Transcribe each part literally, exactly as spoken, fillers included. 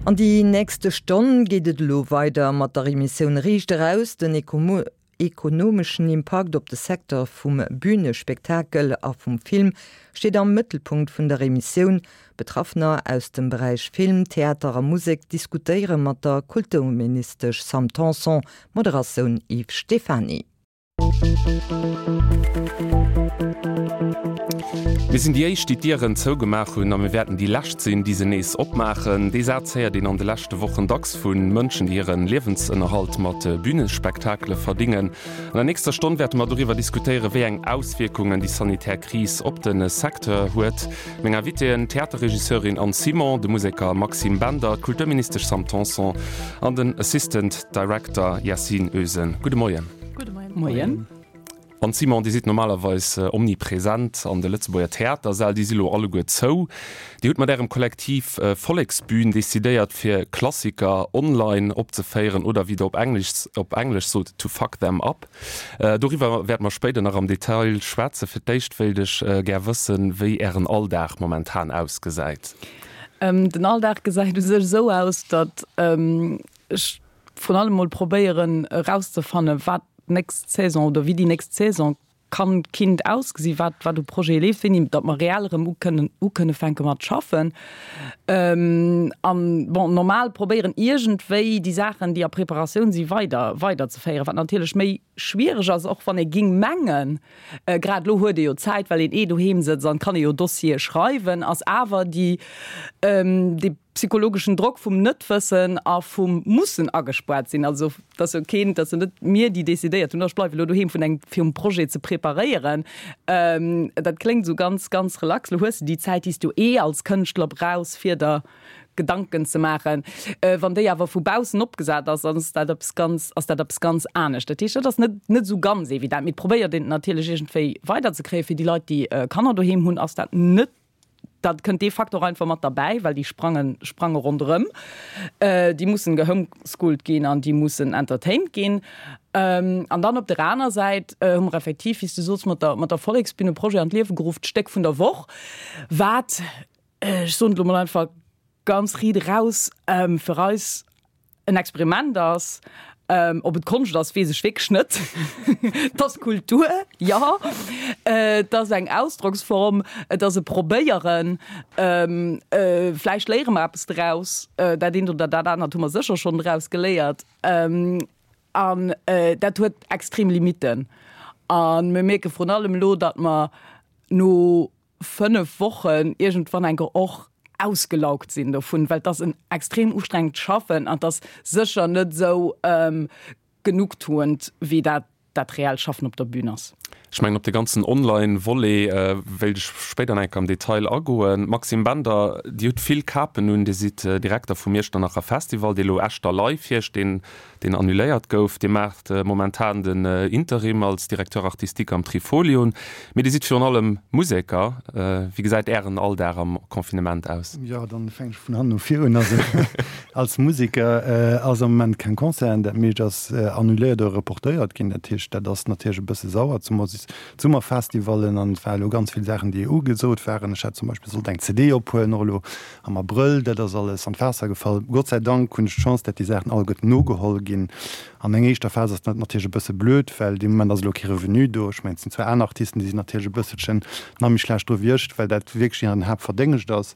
An déi nächste Stonn geet et elo weider mat der Emissioun Riicht eraus, den ekonomeschen Impakt op de Secteur vum Bünespektakel a vum Film steet am Mëttelpunkt vun der Emissioun. Betraffener aus dem Beräich Film, Theater a Musek diskutéiere mat der Kulturministesch Sam Tanson, Moderatioun Yves Stephany. Mir sinn déi éischt, déi d'Dieren zougemaach hunn, a mir wäerten déi lescht sinn, déi se nees opmaachen. Dee Saz héiert een an de leschte Wochen dacks vu Mënschen, déi hire Liewensënnerhalt mat Bünespektakele verdingen. An der nächster Stonn wäerte mer doriwwer diskutéieren, wéi eng Auswierkungen déi sanitär Kris op de Secteur huet. Meng Invitéen, d'Theaterregisseurin Anne Simon, de Museker Maxime Bender, d'Kulturministesch Sam Tanson an den Assistant Director Yasin Özen. Gudde Moien. Gudde Moien. Moien. Anne Simon, Dir sidd normalerweis omnipresent an de Lëtzebuerger Theatersäll, déi si lo alleguer zou. Dir hutt mat Ärem Kollektiv Volleksbühn decidéiert, fir Klassiker online opzeféieren oder wéi Der op Englesch op Englesch sot, to fuck them up. Doriwwer wäerte mer spéider nach am Detail schwätzen. Fir d'éischt wéilt ech gär wëssen, wéi Ären Alldag momentan ausgesäit. Den Alldag gesäit u sech esou aus, datt ech vrun allem mol probéieren erauszefannen, wat d'nächst Saison oder wéi déi nächst Saison kann, kinnt ausgesi, wat wat u Projete leeft, wéini datt mer reell erëm ukënnen ukënne fänke mat schaffen. An bon, normal probéieren iergendwéi déi Saachen, déi a Preparatioun si weider weiderzeféieren, wat natierlech méi schwiereg ass, och wann ee ging mengen, grad elo huet ee jo Zäit, well een eh doheem sëtzt an kann ee jo Dossiere schreiwen, ass awer déi dee psychologeschen Drock vum Net-Wëssen a vum mussen agespaart sinn, also et ass jo keen, et ass jo net mir, déi decidéiert hunn, ech bleiwe elo doheem vun engem, fir um Projet ze preparéieren. Dat kléngt esou ganz, ganz relax, elo hues de déi Zäit, déi s du eh als Kënschtler brauchs, fir der Gedanken ze maachen. Wann déi awer vu baussen opgesat ass, dann ass dat eppes ganz, ass dat eppes ganz anescht. Dat heescht, dat ass net, net esou ganz evident, mee et probéiert een et natierlech iergendwéi weiderzekréien. Fir déi Leit, déi Kanner doheem hunn, ass dat net, da kënnt dee Faktor einfach mat derbäi, well déi sprangen, sprange ronderëm. Déi mussen gehomeschoolt ginn an déi mussen entertained ginn. An dann op der aner Säit hu mer effektiv, wéi s du soos, mat der, mat der Volleksbün e Projet an d'Liewe geruff, d'Stéck vun der Woch, wat, ech soen et elo mol einfach ganz riit eraus, fir eis en Experiment ass. Ob et Konscht ass, weess ech wierklech net. Et ass Kultur, jo. Et ass eng Ausdrocksform, et ass e Probéieren. Vläicht léiere mer eppes draus. Dat eent oder dat anert hu mer sécher schonn draus geléiert. An dat huet extrem Limitten. A mir mierke vrun allem elo, datt mer no fënnef Wochen iergendwann enker och ausgelaugt sinn dovun, well et ass en extrem ustrengend Schaffen an et ass sécher net esou genugtuend wéi dat dat reellt Schaffen op der Bühn ass. Ech mengen, op de ganzen Online-Volet wéilt ech spéider nach eng Kéier am Detail agoen. Maxime Bender, Dir hutt vill Kapen un, Dir sidd Direkter vum Iechternacher Festival, dee elo Echter Live heescht, deen deen annuléiert gouf. Dir maacht momentan den Interim als Directeur artistique am Trifolion. Mee Dir sidd virun allem Museker. Wéi gesäit Ären Alldag am Confinement aus? Jo, dann fänken ech vun hannen no vir un. Also als Museker ass am Moment keng Concerten, dat meescht ass annuléiert oder reportéiert ginn. Dat heescht, dat ass natierlech e bësse sauer, zemools d'Summerfestivallen an et ware elo ganz vill Saachen, déi ugesot waren. Ech hat zum Beispill sollt eng C D ophuelen, och elo am Abrëll, dat ass alles an d'Waasser gefall. Gott sei Dank hunn ech d'Chance, dat déi Saachen alleguerten nogeholl ginn. An enger éischter Phas ass dat natierlech e bësse blöd, well dee Moment ass elo kee Revenu do. Ech mengen, et sinn zwar aner Artisten, déi sinn natierlech e bësselchen nach méi schlecht dru wéi ech, well dat wierklech hiren Haaptverdéngscht ass.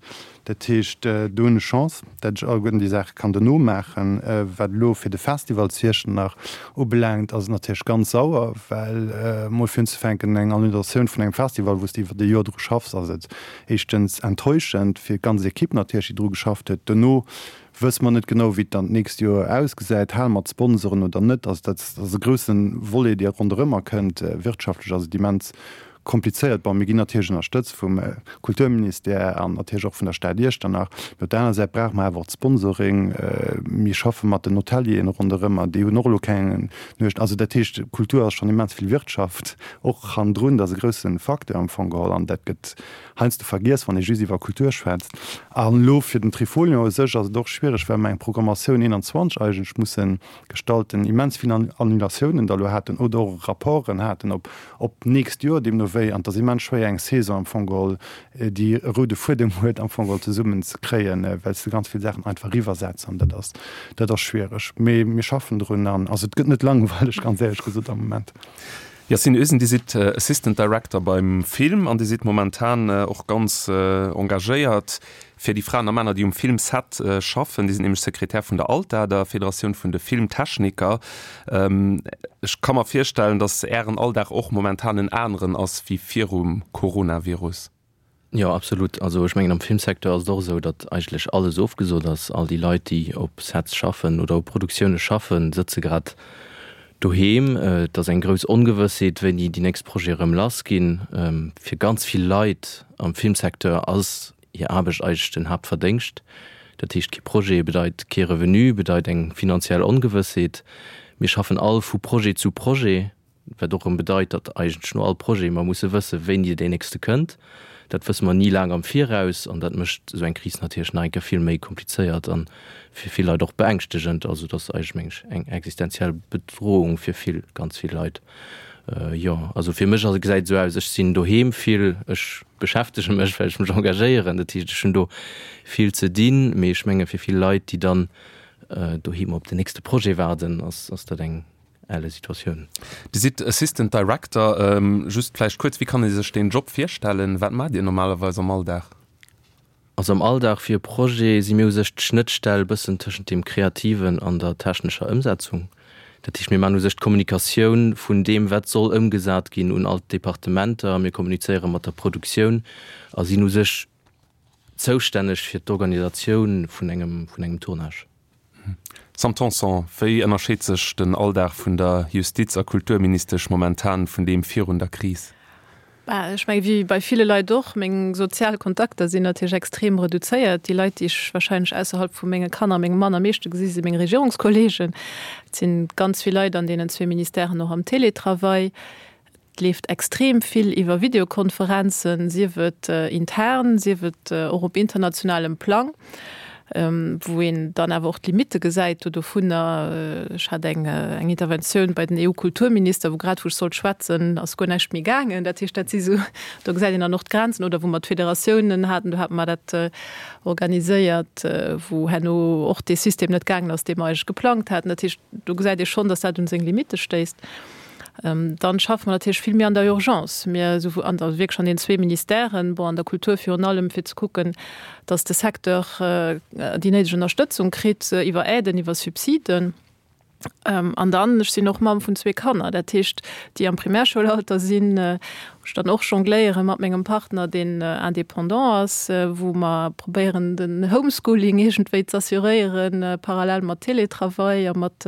Dat heescht, do hunn ech Chance, dat ech alleguerten déi Saache kann dono maachen. Wat elo fir de Festival zu Iechternach ubelaangt, ass et natierlech ganz sauer, well emol fir unzefänken, eng Annulatioun vun engem Festival, wou s de iwwert e Joer dru schaffs, ass et éischtens enttäuschend fir d'ganz Ekipp natierlech, déi dru geschafft huet. Dono wësse mer net genau, wéi et dann d'nächst Joer ausgesäit. Hale mer d'Sponsoren oder net? Also dat ass e grousse Volet, dee ronderëmmer kënnt. Wirtschaftlech ass et immens komplizéiert. Bon, mir ginn natierlech ënnerstëtzt vum Kulturministère an natierlech och vun der Stad Iechternach. Mee op der anerer Säit brauche mer awer och d'Sponsoring. Mir schaffe mat den Hotelieren ronderëmmer, déi hunn och elo keng Nuecht. Also dat heescht, Kultur ass schonn immens vill Wirtschaft och hannendrun. Dat ass e grousse Facteur am Fong geholl an dat gëtt heiansdo vergiess, wann ee just iwwer Kultur schwätzt. An elo fir den Trifolion u sech ass et och schwiereg, well mer eng Programmatioun eenanzwanzeg eigentlech musse gestalten, immens vill Annulatiounen da elo haten oder och Rapporten haten op op d'nächst Joer, deemno wéi an et ass immens schwéier eng Saison am Fong geholl, déi e roude Fuedem huet, am Fong geholl zesummen ze kréien, well s de ganz vill Saachen einfach eriwwersetz an dat ass, dat ass schwiereg. Mee mir schaffen drun an also et gëtt net langweileg, ganz éierlech gesot am Moment. Yacine Özen, Dir sidd Assistant Director beim Film an Dir sidd momentan och ganz engagéiert fir déi Fraen a Männer, déi um Filmset schaffen. Dir sidd nämlech Sekretär vun der ALTA, der Federatioun vun de Filmtechniker. Ech ka mer virstellen, datt Ären Alldag och momentan en aneren ass wéi virum Coronavirus. Jo, absolut. Also ech mengen am Filmsecteur ass et och esou, datt eigentlech alles ofgesot ass. All déi Leit, déi op Sets schaffen oder op Produktioune schaffen, sëtze grad doheem. Et ass eng grouss Ongewëssheet, wéini déi nächst Projete erëm lass ginn. Fir ganz vill Leit am Filmsecteur ass hir Aarbecht eigentlech den Haaptverdéngscht. Dat heescht, kee Projet bedeit kee Revenu, bedeit eng finanziell Ongewëssheet. Mir schaffen all vu Projet zu Projet. Wat och erëm bedeit, datt eigentlech no all Projet mer musse wëssen, wéini deen nächste kënnt. Dat wësse mer ni laang am Viraus an dat mécht esou eng Kris natierlech nach eng Kéier vill méi komplizéiert a fir vill Leit och beängschtegend. Also et ass eigentlech, meng ech, eng existenziell Bedrohung fir vill, ganz vill Leit. Jo, also fir mech ass, gesäit et esou aus, ech sinn doheem vill, ech beschäftege mech, well ech mech engagéieren, dat heescht, ech hunn do vill ze dinn. Mee ech menge fir vill Leit, déi dann doheem op den nächste Projet waarden, ass dat eng elle Situatioun. Dir sidd Assistant Director. Just vläicht kuerz, wéi kann ee sech deen Job virstellen? Wat maacht Dir normalerweis am Alldag? Also am Alldag fir e Projet si mir u sech d'Schnëttstell bëssen tëschent deem Kreativen an der technescher Ëmsetzung. Dat heescht, mir maachen u sech d'Kommunikatioun vun deem, wat soll ëmgesat ginn, un all d'Departementer. Mir kommunizéiere mat der Produktioun a sinn u sech zoustänneg fir d'Organisatioun vun engem, vun engem Tournage. Sam Tanson, wéi ënnerscheet sech den Alldag vun der Justiz a Kulturministesch momentan vun deem virun der Kris? Bah, ech menge wéi bei ville Leit och, meng sozial Kontakter sinn natierlech extrem reduzéiert. Déi Leit, déi ech warscheinlech ausserhalb vu menge Kanner a mengem Mann am meeschte gesi si meng Regierungskolleegen. Et si ganz vill Leit an deenen zwee Ministèren och am Télétravail. Et leeft extrem vill iwwer Videokonferenzen, sief et intern, sief et och op internationalem Plang, wou een dann awer och d'Limitte gesäit do dovunner. Ech hat eng Interventioun bei den EU-Kulturminister, wou grad wou ech sollt schwätzen, ass guer näischt méi gaangen. Dat heescht, dat si sou, do gesäit een dann och d'Grenzen. Oder wou mer d'Federatiounen haten, do hate mer dat organiséiert, wou herno och dee System net gaangen ass, dee mer eigentlech geplangt haten. Dat heescht, do gesäit ee schonn, datt dat un seng Limitte stéisst. Dann schaffe mer natierlech vill méi an der Urgence. Mir esou an der, wierklech an den zwee Ministèren, bon, an der Kultur virun allem, fir ze kucken, datt de Secteur déi néideg Ënnerstëtzung kritt iwwer Aiden, iwwer Subsiden. An dann, ech sinn och Mamm vun zwee Kanner, dat heescht, déi am Primärscholalter sinn, wou ech dann och jongléiere mat mengem Partner, deen Indépendant ass, wou mer probéieren, den Homeschooling iergendwéi z'assuréieren, parallel mat Télétravail a mat,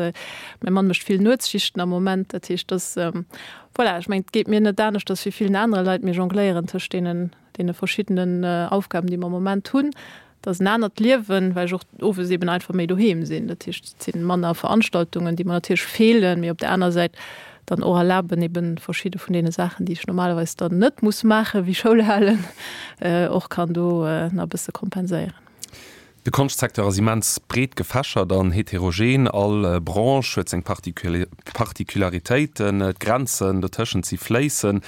mäi Mann mécht vill Nuetsschichten am Moment. Dat heescht, dass, voilà, ech mengen, et geet mir net aneschters wéi villen anere Leit, mir jongléieren tëscht deenen, deene verschiddenen Aufgaben, déi mer am Moment hunn. Et ass en anert Liewen, well ech och owes eben einfach méi doheem sinn. Dat heescht, et si manner Veranstaltungen, déi mer natierlech feelen, mee op der aner Säit dann och erlaben, eben verschidde vun deene Saachen, déi ech normalerweis dann net muss maachen, wéi Schoul halen, och kann do nach e bësse kompenséieren. De Konschtsecteur ass immens breet gefächert an heterogen. All Branche huet seng Particularitéiten, d'Grenzen dotëschent si fléissend.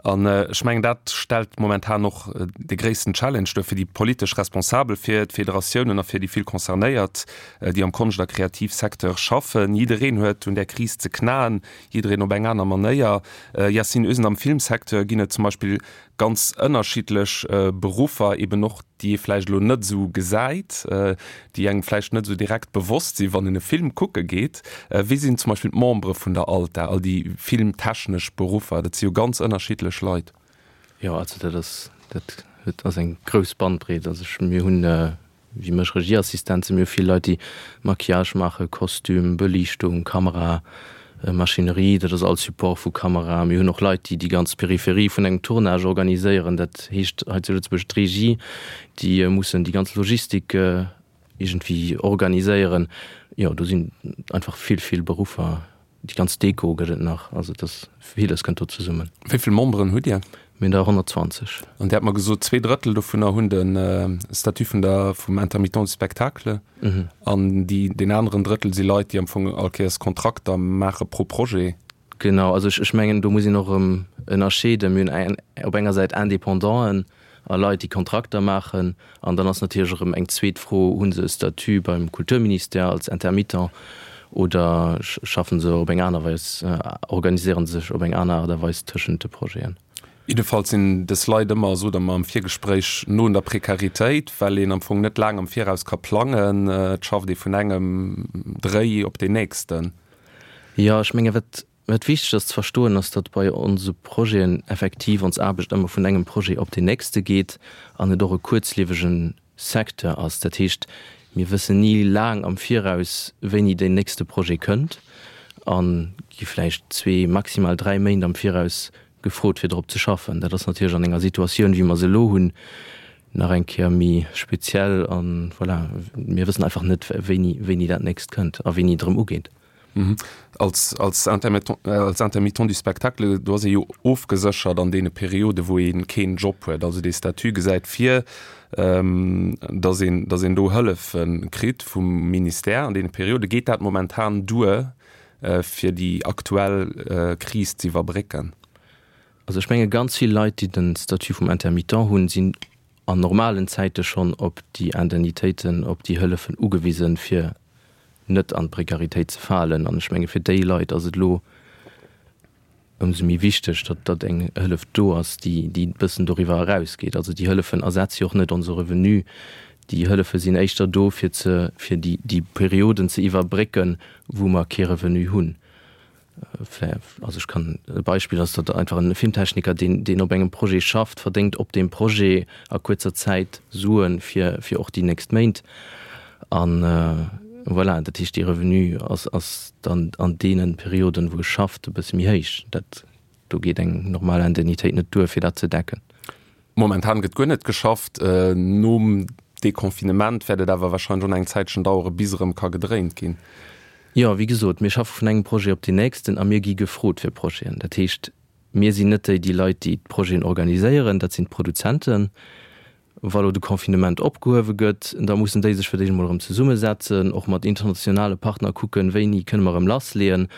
An ech mengen, dat stellt momentan och de gréissten Challenge duer fir déi politesch Responsabel, fir d'Federatiounen a fir déi vill Concernéiert, déi am Konscht a Kreativsecteur schaffen. Jiddereen huet un där Kris ze knaen, jiddereen op eng aner Manéier. Yacine Özen, Am Filmsecteur ginn et zum Beispill ganz ënnerschiddlech Beruffer, eben och déi ee vläicht elo net esou gesäit, déi engem vläicht net esou direkt bewosst sinn, wann een e Film kucke geet. Wie sinn zum Beispill d'Membere vun der ALTA, all déi filmtechnesch Beruffer? Dat si jo ganz ënnerschiddlech Leit. Jo, also dat ass, dat huet, ass eng grouss Bandbreet. Also ech, mir hunn wéi mech Regieassistenzen, mir hu vill Leit, déi Maquillage maachen, Kostüm, Beliichtung, Kamera, Maschinerie, dat ass all Support vu Kamera. Mir hunn och Leit, déi déi ganz Peripherie vun engem Tournage organiséieren, dat heescht hei zu Lëtzebuerg d'Regie, déi mussen déi ganz Logistik iergendwéi organiséieren. Jo, do sinn einfach vill, vill Beruffer. Déi ganz Deko gëtt et nach, also et ass villes kënnt do zesummen. Wéi vill Memberen hutt Dir? Mir hunn der honnertzwanzeg. An Dir hat mer gesot, zwee Drëttel dovunner hunn de Statut vun der, vum Intermittent du spectacle. An déi, deen aneren Drëttel si Leit, déi am Fong all Kéiers Kontrakter maache pro Projet. Genau, also ech, ech mengen, do muss een och erëm ënnerscheeden. Mir hunn eng, op enger Säit Independanten a Leit, déi Kontrakter maachen. An dann ass natierlech erëm eng zweet Fro, Hu se e Statut beim Kulturministère als Intermittent oder schaffen se op eng aner Weis, organiséiere se sech op eng aner Aart a Weis tëschent de Projeten? Jiddefalls sinn dës Leit ëmmer, sot Der mer am Virgespréich, no un der Prekaritéit, well een am Fong net laang am Viraus ka plangen. Et schafft ee vun engem Dréi op deen nächsten. Jo, ech menge wat wat wichteg ass ze verstoen, ass, datt bei onse Projeten effektiv ons Aarbecht ëmmer vun engem Projet op deen nächste geet an et och e kuerzliewege Secteur ass. Dat heescht, mir wëssen ni laang am Viraus, wéini deen nächste Projet kënnt a gi vläicht zwee, maximal dräi Méint am Viraus gefrot, fir drop ze schaffen. Dat ass natierlech an enger Situatioun, wéi mer se elo hunn, nach eng Kéier méi speziell. A voilà, mir wëssen einfach net, wéini, wéini dat nächst kënnt a wéini et erëm ugeet. Als, als Intermittent, als Intermittent du spectacle, do ass ee jo ofgeséchert an deene Perioden, wou ee keen Job huet. Also dee Statut gesäit vir, dass een, dass een do Hëllefe kritt vum Ministère an deene Perioden. Geet dat momentan duer, fir déi aktuell Kris ze iwwerbrécken? Also ech menge ganz vill Leit, déi de Statut vum Intermittent hunn, sinn an normalen Zäite schonn op déi Indemnitéiten, op déi Hëllefen ugewisen, fir net an d'Prekaritéit ze falen. An ech menge fir déi Leit ass et elo ëmsou méi wichteg, datt datt eng Hëllef do ass, déi déi e bëssen doriwwer erausgeet. Also déi Hëllefen ersetze jo och net onse Revenu. Déi Hëllefe sinn éischter do fir ze fir déi déi Perioden ze iwwerbrécken, wou mer kee Revenu hunn. Also ech kann e Beispill ass, datt einfach en Filmtechniker, deen deen op engem Projet schafft, verdéngt op deem Projet a kuerzer Zäit Suen fir fir och déi nächst Méint. An voilà, dat heescht dee Revenu ass ass dann an deene Perioden, wou e schafft, e bësse méi héich. Dat do geet eng normal Indemnitéit net duer fir dat ze decken. Momentan gëtt guer net geschafft. Nom Deconfinement wäert et awer warscheinlech och nach eng Zäitchen dauere bis erëm ka gedréint ginn. Jo, wéi gesot, mir schaffe vun engem Projet op deen nächsten a mir gi gefrot fir Projeten. Dat heescht, mir sinn net déi déi Leit, déi d'Projeten organiséieren, dat sinn d'Produzenten. Wa lo de Confinement opgehuewe gëtt, da mussen déi sech fir d'éischt emol erëm zesummesetzen, och mat internationale Partner kucken, wéini kënne mer erëm lassleeën.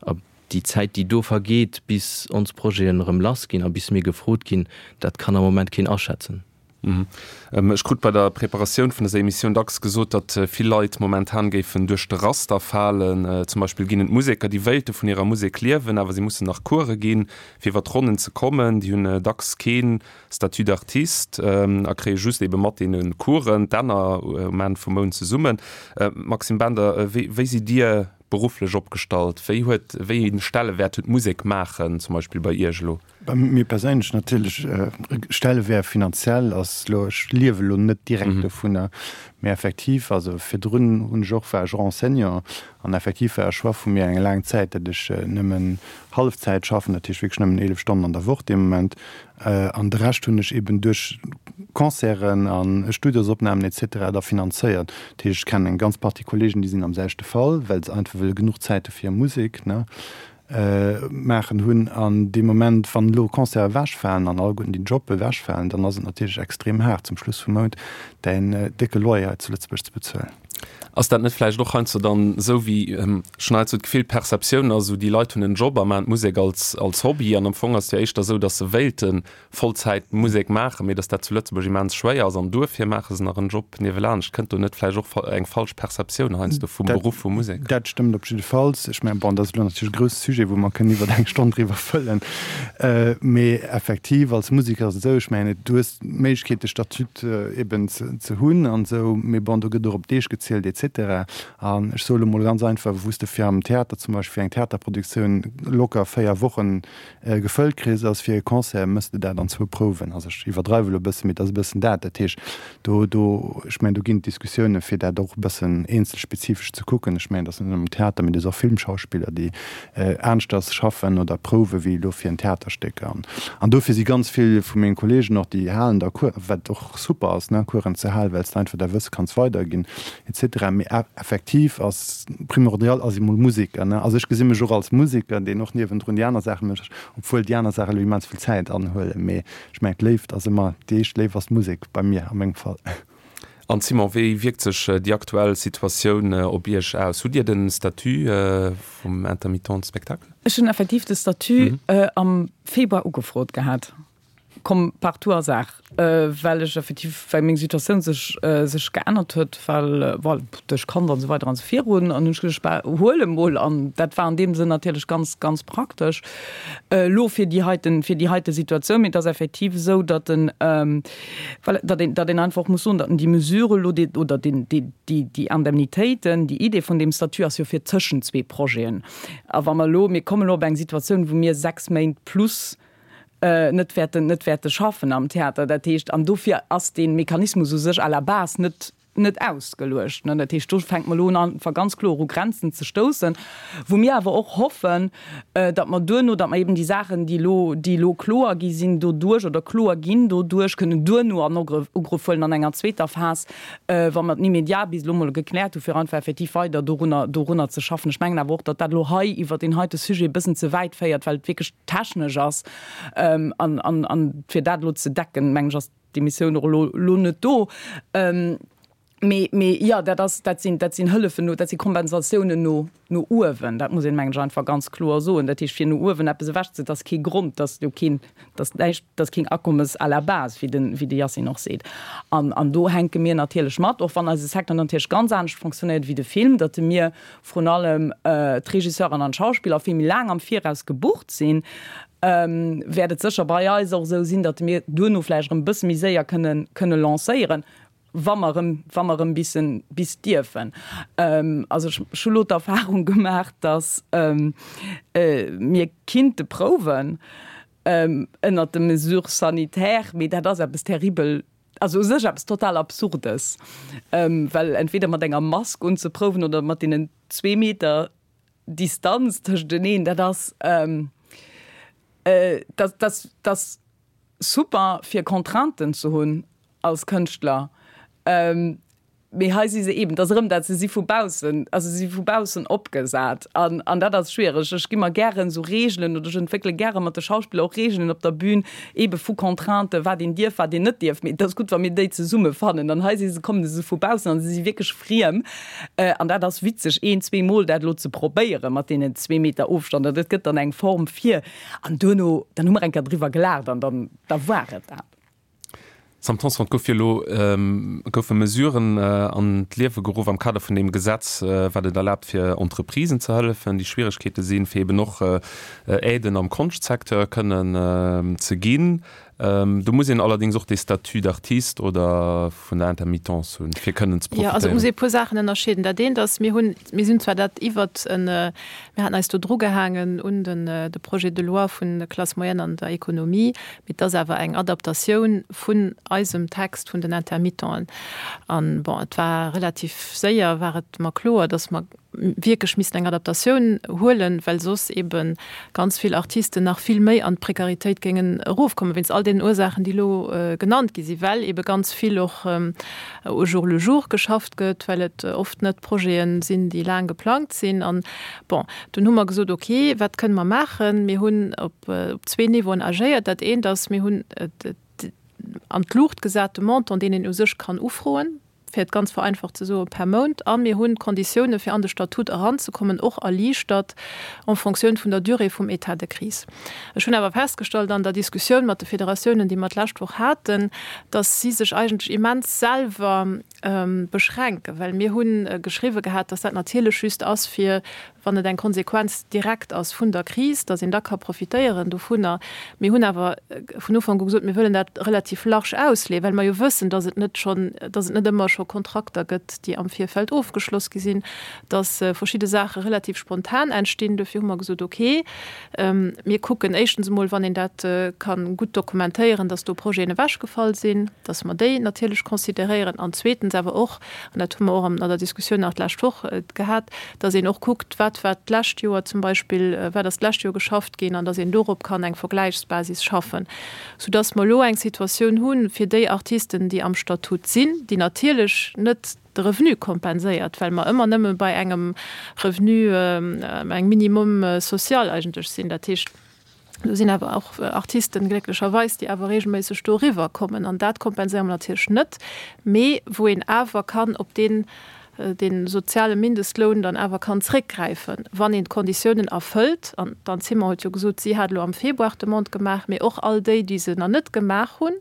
A déi Zäit, déi do vergeet, bis ons Projeten erëm lassginn a bis mir gefrot ginn, dat kann am Moment keen aschätzen. Ech krut bei der Preparatioun vun dëser Emissioun dacks gesot, datt vill Leit momentan géifen duerch de Raster falen. Zum Beispill ginn et Museker, déi wéilte vun hirer Musek liewen, awer si mussen nach Course ginn, fir iwwer d'Ronnen ze kommen. Déi hunn dacks kee Statut d'artiste a kréie just ebe mat deene Coursen d'Enner um Enn vum Mount zesummen. Maxime Bender, wéi sidd Dir berufflech opgestallt? Wéi huet, wéi ee Stellewäert huet d'Musek maachen zum Beispill bei Iech elo? Bei mir perséinlech natierlech, Stellewäert finanziell ass elo, ech liewe elo net direkt dovunner, mä effektiv, also virdrun hunn ech och, war ech och Enseignant an effektiv war e Choix vu mir eng laang Zäit, datt ech nëmmen Hallefzäit schaffen, dat heescht wierklech nëmmen eelef Stonnen an der Woch dee Moment. An de Rescht hunn ech eben duerch Concerten a Studiosopnamen et cetera da finanzéiert. Dat heescht, ech kennen eng ganz Partie Kollegen, déi sinn am selwechte Fall, well se einfach wëlle genuch Zäit hu fir Musek, ne, maachen hunn. An dee Moment, wann elo Concerte ewechfalen an alleguerten déi Jobbe ewechfalen, dann ass et natierlech extrem haart zum Schluss vum Mount däin décke Loyer hei zu Lëtzebuerg ze bezuelen. Ass dat net vläicht och heiansdo dann esou wéi, ech hunn heiansdo d'Gefill, d'Perceptioun ass esou, déi Leit hunn en Job a maachen d'Musek als als Hobby an am Fong ass et jo éischter esou, datt se wéilte Vollzäit Musek maachen, mee datt dat zu Lëtzebuerg immens schwéier ass an duerfir maache se nach en Job niewelaanscht. Kënnt do net vläicht och eng falsch Perceptioun heiansdo vum Beruff vum Museker? Dat stëmmt op jiddefalls. Ech mengen, bon, dat ass elo natierlech e grousse Sujet, wou mer kënnen iwwer eng Stonn driwwer fëllen. Mee effektiv, als Museker ass et esou, ech mengen, du hues d'Méiglechkeet, de Statut eben ze hunn an esou, mee bon, do gëtt och op Deeg gezielt et cetera. An ech soe lo mol ganz einfach, wou s de fir am Theater zum Beispill, fir eng Theaterproduktioun locker véier Wochen gefëllt kriss, ass fir e Concert méchs de dat an zwou Prouwen. Also ech iwwerdreiwe lo e bëssen, mee et ass e bëssen dat. Dat heescht, do, do, ech mengen, do ginn et Diskussiounen, fir dat och e bëssen eenzelspezifesch ze kucken. Ech mengen, et ass net nëmmen am Theater, mee et ass och Filmschauspiller, déi aneschters schaffen oder prouwe wéi elo fir en Theaterstéck. An, an dofir si ganz vill vu menge Kolleegen och, déi halen da Cours, wat och super ass, ne, Coursen ze halen, well s de einfach däi Wësse kanns weiderginn et cetera. Mee effektiv ass primordial ass emol Museker, ne. Also ech gesi mech och als Museker, deen och niewendrun déi aner Saache mécht, obwuel déi aner Saache elo immens vill Zäit anhuelen. Mee ech mengen, d'Léift ass ëmmer, déi éischt Léift ass d'Musek bei mir a mengem Fall. An Simon, wéi wierkt sech déi aktuell Situatioun op Iech aus? Hutt Dir de Statut vum Intermittent du spectacle? Ech hunn effektiv de Statut am Februar ugefrot gehat. Komm par tout hasard, well ech effektiv, well meng Situatioun sech sech geännert huet, well voilà, duerch Kand an esou weider an esou virun, an hunn ech geduecht, bah, huel emol. An dat war an deem Sënn natierlech ganz, ganz praktesch elo fir déi heiten, fir déi heite Situatioun. Mee et ass effektiv esou, datt en, voilà, datt een, datt een einfach och muss soen, datt en déi Mesure elo, déi, oder deen, déi, déi, déi Indemnitéiten, déi Idee vun deem Statut ass jo fir tëschent zwee Projeten. A wa mer elo, mir kommen elo op eng Situatioun, wou mir sechs Méint plus net wäerten, net wäerte schaffen am Theater. Dat heescht, an dofir ass dee Mechanismus u sech à la base net, net ausgeluecht. Dat heescht, do fänke mer elo un einfach ganz kloer u Grenzen ze stoussen, wou mir awer och hoffen, datt mer duerno, datt mer eben déi Saachen, déi elo, déi elo kloer gi sinn doduerch oder kloer ginn doduerch, kënnen duerno an Ugrëff huelen an enger zweeter Phas, wa mer den Immédiat bis elo mol gekläert hu fir einfach effektiv weider dorunner, dorunner ze schaffen. Ech mengen awer och, datt dat elo hei iwwert deen heite Sujet e bëssen ze wäit féiert, well et wierklech technesch ass an, an, an fir dat elo ze decken, mengen ech, ass d'Emissioun och elo, elo net do. Mee, mee jo, dat ass, dat sinn, dat sinn Hëllefen no, dat si Kompensatiounen no, no uewen. Dat muss een, mengen ech, einfach ganz kloer soen. Dat heescht, fir no uewen eppes ewechze, dat ass kee Grond, dat ass jo keen, dat ass näischt, dat ass keen Akommes à la base, wéi den, wéi de Yacine och seet. An, an do hänke mir natierlech mat, och wann eise Secteur natierlech ganz anescht fonctionnéiert wéi de Film, datt mir vrun allem d'Regisseuren an d'Schauspiller vill méi laang am Viraus gebucht sinn, wäert et sécher bei eis och esou sinn, datt mir duerno vläicht erëm e bësse méi séier kënnen, kënne lancéieren, wa mer erëm, wa mer erëm bissen, bis dierfen. Also ech, ech hu lo d'Erfahrung gemaach, datt mir kinnte prouwen ënnert de Mesures sanitaires, mee dat ass eppes terribel, also u sech eppes total Absurdes, well entweder mat enger Mask unzeprouwen oder mat deenen zwee Meter Distanz tëschteneen, dat ass, dat, dat, dat ass super fir Contrainten ze hunn als Kënschtler, mee hei si se eben, et ass erëm dat, se si vu baussen, also se si vu baussen opgesat an, an dat ass schwiereg. Ech gi mer gären esou Reegelen oder ech entwéckele gäre mat de Schauspiller och Reegelen op der Bühn, ebe vu Contrainten, wat een dierf, wat een net dierf, mee et ass gutt, wa mir déi zesumme fannen an hei si se, kommen se vu baussen an se si wierklech friem an dat ass witzeg, een, zwee Mol dat elo ze probéiere mat deenen zwee Meter Ofstand an dat gëtt dann eng Form fir an duerno, dann hu mer eng Kéier driwwer gelaacht an dann, da war et dat. Sam Tanson, et gouf jo elo, goufe Mesuren an d'Liewe geruff am Kader vun deem Gesetz, wat et erlaabt fir Entreprisen ze hëllefen, déi Schwieregkeete sinn, fir eben och Aiden am Konschtsecteur kënnen ze ginn. Do muss een allerdéngs och dee Statut d'artiste oder vun der Intermittence hunn, fir kënnen ze Jo, also et profitéieren. muss ee e puer Saachen ënnerscheeden. Dat eent ass, mir hunn, mir sinn zwar dat iwwert en, mir haten eis do drugehaangen un den, de Projet de loi vun der Classe moyenne an der Économie, mee et ass awer eng Adaptatioun vun eisem Text vun den Intermittenten. An, bon, et war relativ séier war et mer kloer, dass mer wierklech missten eng Adaptatioun huelen, well soss ebe ganz vill Artisten nach vill méi an d'Prekaritéit géingen erofkommen, wéinst all deenen Ursaachen, déi elo genannt gi sinn, well ebe ganz vill och au jour le jour geschafft gëtt, well et oft net Projete sinn, déi laang geplangt sinn. An, bon, dunn hu mer gesot, okay, wat kënne mer maachen? Mir hunn op zwee Niveauen agéiert. Dat eent ass, mir hunn an d'Luucht gesat de Montant, deen een u sech kann ufroen, fir et ganz vereinfacht ze soen, per Mount. A mir hunn d'Konditioune fir an de Statut eranzekommen och erliichtert en Fonctioun vun der Durée vum État de crise. Ech hunn awer festgestallt an der Diskussioun mat de Federatiounen, déi mer d'lescht Woch haten, dass si sech eigentlech immens selwer beschränken, well mir hu geschriwwe gehat, dass dat natierlech just ass fir wann et eng Konsequenz direkt ass vun der Kris, dass een da ka profitéieren dovunner. Mir hunn awer vun Ufank u gesot, mir wëllen dat relativ large ausleeën, well mer jo wëssen, dass et net schonn, dass et net ëmmer scho Kontrakter gëtt, déi am Virfeld ofgeschloss gi sinn, dass verschidde Saache relativ spontan entstinn. Dofir hu mer gesot, okay, mir kucken éischtens emol, wann een dat ka gutt dokumentéieren, dass do Projeten ewechgefall sinn, dass mer déi natierlech consideréieren an zweetens awer och, an dat hu mer och an der Diskussioun nach d'lescht Woch gehat, dass een och kuckt, wat war d'lescht Joer zum Beispill, wat ass d'lescht Joer geschafft ginn an dass een dorop kann eng Vergläichsbasis schaffen, soudass mer elo eng Situatioun hu fir déi Artisten, déi am Statut sinn, déi natierlech net de Revenu kompenséiert, well mer ëmmer nëmme bei engem Revenu, engem Minimum social eigentlech sinn, dat heescht, Do sinn awer och Artisten, glécklecherweis, déi awer regelméisseg do eriwwer kommen. An dat kompenséiere mer natierlech net, mee wou een awer kann op deen, dee soziale Mindestloun dann awer kann zréckgräifen, wann een d'Konditiounen erfëllt. An d'Anne Zimmer huet jo gesot, si hat elo am Februar d'Demande gemaach, mee och all déi, déi se nach net gemaach hunn,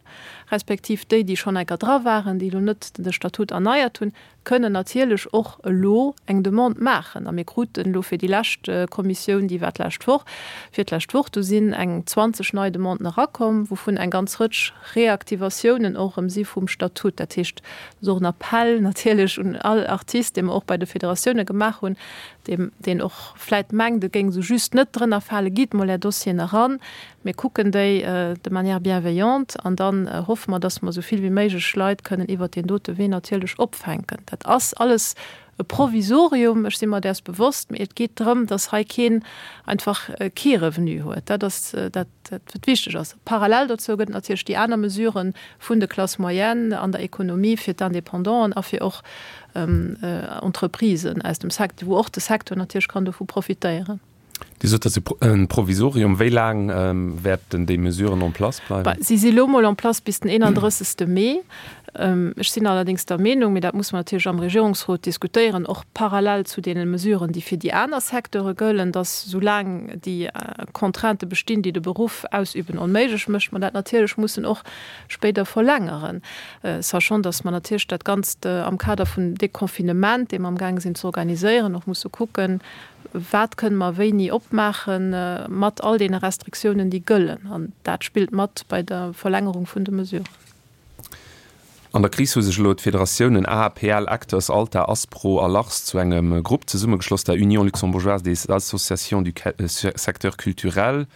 respektiv déi, déi schonn enker dra waren, déi elo net de Statut erneiert hunn, kënnen natierlech och elo eng Demande maachen. A mir kruten elo fir déi lescht Kommissioun, déi war d'lescht Woch, fir d'lescht Woch, do sinn eng zwanzeg nei Demanden erakomm, wouvun eng ganz Rëtsch Reaktivatiounen och erëm si vum Statut. Dat heescht, dat ass och en Appell natierlech un all Artist, dee mer och bei de Federatioune gemaach hunn, dee, deen och vläit mengt, e géing esou just net drënner falen, Gitt mol Är Dossieren eran, mir kucken déi de manière bienveillante an dann hoffe mer, dass mer esou vill wéi méiglech Leit kënnen iwwert deen dote Wee natierlech opfänken. Dat ass alles e Provisorium, ech si mer däers bewosst, mee et geet drëm, dass hei keen einfach kee Revenu huet. Dat ass dat, wat wichteg ass. Parallel dozou gëtt et natierlech déi aner Mesuren vun de Classes moyennes an der Ekonomie fir d'Independanten a fir och Entreprisen aus dem Secteur, wou och de Secteur natierlech kann dovu profitéieren. Dir sot, dat ass e Provisorium. Wéi laang wäerten déi Mesuren en place bleiwen? Si si lo mol en place bis den eenandrëssegste Mee. Ech sinn allerdéngs der Meenung, mee dat muss mer natierlech am Regierungsrot diskutéieren, och parallel zu deene Mesuren, déi fir déi aner Secteure gëllen, datt soulaang déi Contraintë bestinn, déi de Beruff ausüben onméiglech mécht, mer dat natierlech mussen och spéider verlängeren, sachant datt mer natierlech dat Ganzt am Kader vum Deconfinement, dee mer amgaange sinn ze organiséieren, och musse kucken, Wat kënne mer wéini opmaache mat all deene Restriktiounen, déi gëllen? An dat spillt mat bei der Verlängerung vun de Mesuren. An der Kris hu sech elo d'Federatiounen A A P L, Acteurs, Alta, Aspro a Lars zu engem Grupp zesummegeschloss, der Union luxembourgeoise des associations du secteur culturel,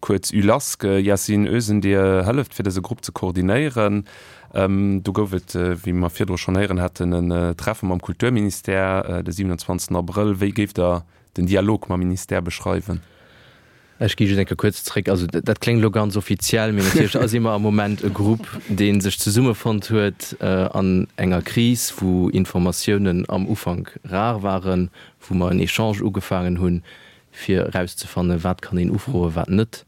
kuerz ULASC. Yasin Özen, Dir hëlleft fir dëse Grupp ze koordinéieren. Do gouf et, wéi mer virdru schonn héieren haten, en Treffe mam Kulturministère de siwenanzwanzegsten Abrëll. Wéi géift Der den Dialog mam Ministère beschreiwen? Ech gi just eng Kéier kuerz zréck. Also dat kléngt elo ganz offiziell, mee natierlech si mer am Moment e Grupp, dee sech zesummefonnt huet an enger Kris, wou Informatiounen am Ufank rar waren, wou mer en Echange ugefaangen hunn, fir erauszefannen, wat kann een ufroen, wat net.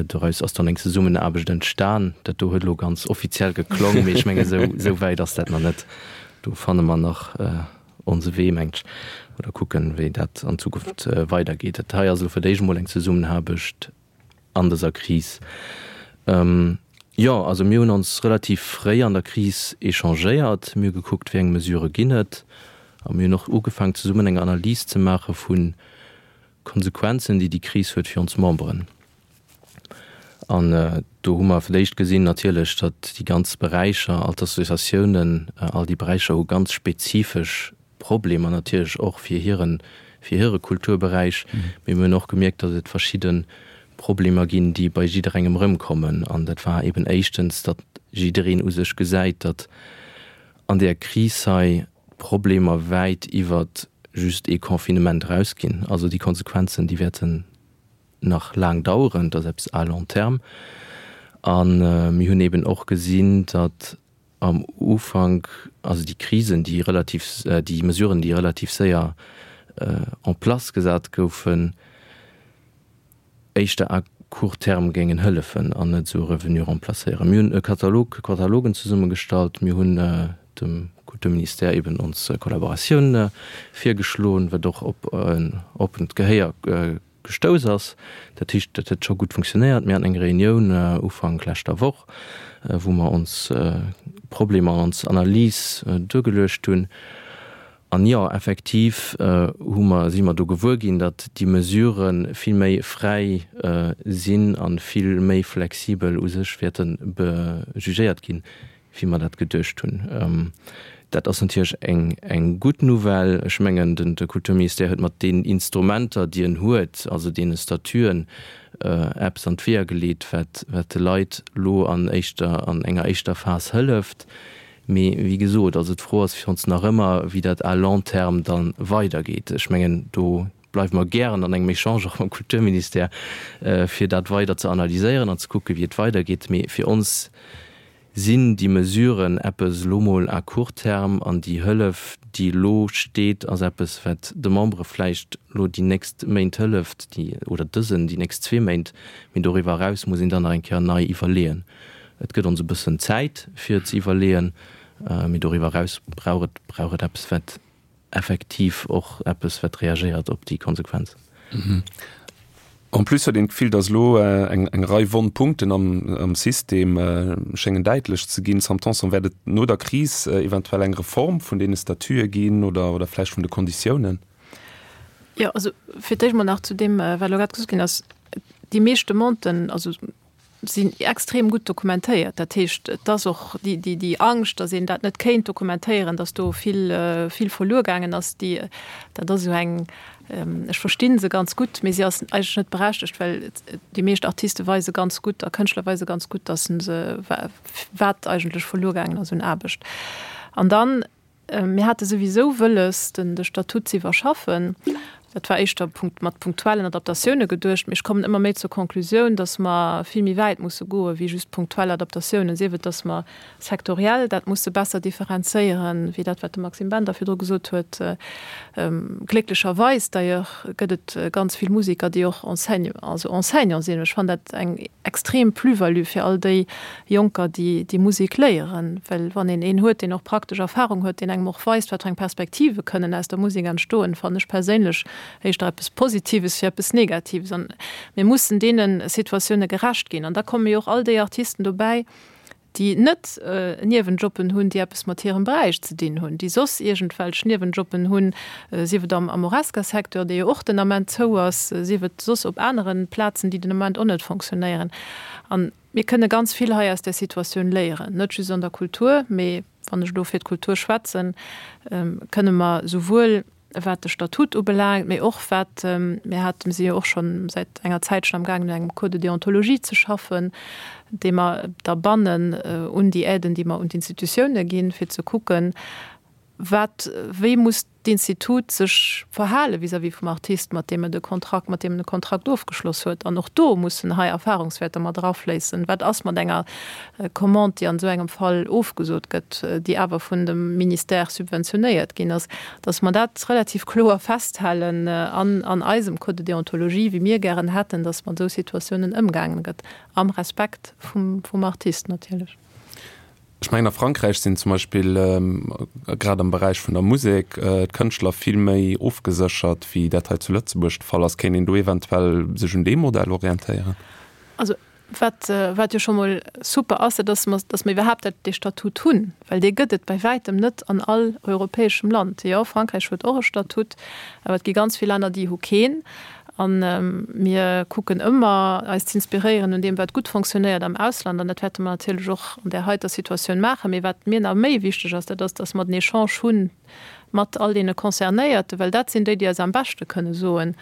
Doraus ass dann eng Zesummenaarbecht entstan. Dat do huet elo ganz offiziell geklong, mee ech mengen, esou wäit ass dat nach net. Do fanne mer nach onse Wee, mengt ech, oder kucken, wéi dat an Zukunft weidergeet. Dat hei ass elo fir d'éischt emol eng Zesummenaarbecht an dëser Kris. Jo, also mir hunn ons relativ fréi an der Kris échangéiert. Mir hu gekuckt, wéi eng Mesurë ginn et. A mir hunn och ugefaangen, zesummen eng Analys ze maache vu Konsequenzen, déi déi Kris huet fir ons Memberen. An do hu mer fir d'éischt gesinn natierlech, datt déi ganz Beräicher, all d'Associatiounen, all déi Beräicher hu ganz spezifesch Problemer natierlech och fir hiren, fir hire Kulturberäich. Mee mir hunn och gemierkt, datt et verschidde Problemer ginn, déi bei jidderengem erëmkommen. An dat war eben éischtens, datt jiddereen u sech gesäit, datt an där Kris hei d'Problemer wäit iwwert just ee Confinement erausginn. Also déi Konsequenzen, déi wäerten nach laang daueren, dat ass eppes à long terme. A mir hunn eben och gesinn, datt am Ufank, also déi Krisen, déi relativ, déi Mesuren, déi relativ séier en place gesat goufen, éischter à court terme géingen hëllefen an net esou e Revenu remplacéieren. Mir hunn e Katalog, Katalogen zesummegestallt, mir hunn dem Kulturministère eben ons Kollaboratioun virgeschloen, wat och op en oppent Gehéier gestouss ass. Dat heescht, dat huet scho gutt funktionéiert. Mir haten eng Reunioun Ufank leschter Woch, wou mer ons Problemer an ons Analys duergeluecht hunn. An jo, effektiv hu mer, si mer do gewuer ginn, datt déi Mesurë vill méi fräi sinn a vill méi flexibel u sech wäerte jugéiert ginn, wéi mer dat geduecht hunn. Dat ass natierlech eng, eng gutt Nouvelle. Ech mengen, den, de Kulturministère huet mat deenen Instrumenter, déi en huet, also deene Statuen, eppes an d'Weeër geleet, wat, wat de Leit elo an éischter, an enger éischter Phas hëlleft. Mee wéi gesot, also d'Fro ass fir ons nach ëmmer, wéi dat à long terme da weidergeet. Ech mengen, do bleiwe mer gären an engem Echange och mam Kulturministère, fir dat weider ze analyséieren an ze kucken, wéi et weidergeet. Mee fir ons sinn déi Mesuren eppes elo mol à court terme an déi Hëllef, déi elo steet, ass eppes, wat de Membere vläicht elo déi nächst Méint hëlleft, déi, oder dësen, déi nächst zwee Méint, mee doriwwer eraus muss een dann nach eng Kéier nei iwwerleeën. Et gëtt ons e bëssen Zäit, fir ze iwwerleeën, mee doriwwer eraus brauch et, brauch et eppes, wat effektiv och eppes, wat reagéiert op déi Konsequenzen. En plus huet een d'Gefill, datt elo eng eng Rei wonn Punkten am am System schéngen däitlech ze ginn. Sam Tanson, wäert et no der Kris eventuell eng Reform vun deene Statute ginn oder oder vläicht vun de Konditiounen? Jo, also fir d'éischt mol nach zu deem, wat elo grad gesot ginn ass, Déi meescht Demanden, also sinn extrem gutt dokumentéiert. Dat heescht, et ass och déi, déi, déi Angscht, datt een dat net kéint dokumentéieren, datt do vill, vill verluer gaangen ass, déi, dat ass esou eng, ech versti se ganz gutt, mee si ass eigentlech net berechtegt, well déi meescht Artiste weise ganz gutt a Kënschtler weise ganz gutt, datt se, wat eigentlech verluer gaangen ass un Aarbecht. An dann, Mir hate souwisou wëlles, den de Statut ze iwwerschaffen. Dat war éischter punkt mat punktuellen Adaptatioune geduecht. Mee ech kommen ëmmer méi zur Konklusioun, datt mer vill méi wäit musse goe wéi just punktuell Adaptatiounen, sief et, datt mer sektoriell dat musse besser differenzéieren, wéi dat, wat de Maxime Bender virdru gesot huet. Glécklecherweis d'ailleurs gëtt et ganz vill Museker, déi och Enseigne also Enseignant sinn. Ech fannen dat eng extrem Plus-value fir all déi Jonker, déi déi Musek léieren, well wann een een huet, deen och praktesch Erfahrung huet, deen engem och weist, wat fir eng Perspektive kënnen aus der Musek entstoen, fannen ech perséinlech éischter eppes Positives wéi eppes Negatives. An mir mussen deene Situatioune gerecht ginn. An da komme jo och all déi Artisten dobäi, déi net Niewenjobben hunn, déi eppes mat hirem Beräich ze dinn hunn, déi soss iergendwelch Niewenjobben hunn, sief et am am Horesca-Secteur, dee jo och den Ament zou ass, sief et soss op anere Plazen, déi den Ament och net fonctionnéieren. A mir kënne ganz vill hei aus där Situatioun léieren, net just an der Kultur, mee wann ech elo fir d'Kultur schwätzen, kënne mer souwuel wat de Statut ubelaangt, mee och wat, mir haten, si jo och scho säit enger Zäitchen amgaangen un engem Code de déontologie ze schaffen, dee mer da bannen un déi Aiden, déi mer un d'Institutione ginn, fir ze kucken, wat, wéi muss d'Institut sech verhale vis-à-vis vum Artist, mat deem et e Kontrakt, mat deem en e Kontrakt ofgeschloss huet. An och do mussen hei Erfahrungswäerter mat erafléissen. Wat ass mat enger Commande, déi an esou engem Fall ofgesot gëtt, déi awer vun dem Ministère subventionéiert ginn ass, dass mer dat relativ kloer festhalen an an eisem Code de déontologie, wéi mir gären hätten, dass mat esou Situatiounen ëmgaangen gëtt, am Respekt vum vum Artist natierlech. Ech mengen a Frankräich sinn zum Beispill grad am Beräich vun der Musek d'Kënschtler vill méi ofgeséchert, wéi dat hei zu Lëtzebuerg de Fall ass. Kéint een do eventuell sech un deem Modell orientéieren? Also wat, wat jo scho mol super ass, dat ass, datt mer iwwerhaapt dat, dee Statut hunn, well dee gëtt et bei wäitem net an all europäeschem Land. Jo, Frankräich huet och e Statut, awer et gi ganz vill Länner, déi hu keen. A mir kucken ëmmer, eis z'inspiréieren un deem, wat gutt fonctionnéiert am Ausland. An dat wäerte mer natierlech och an där heiter Situatioun maachen. Mee wat mir nach méi wichteg ass, dat ass, datt mer den Echange hu mat all deene Concernéierten, well dat sinn déi, déi eis am beschte kënne soen,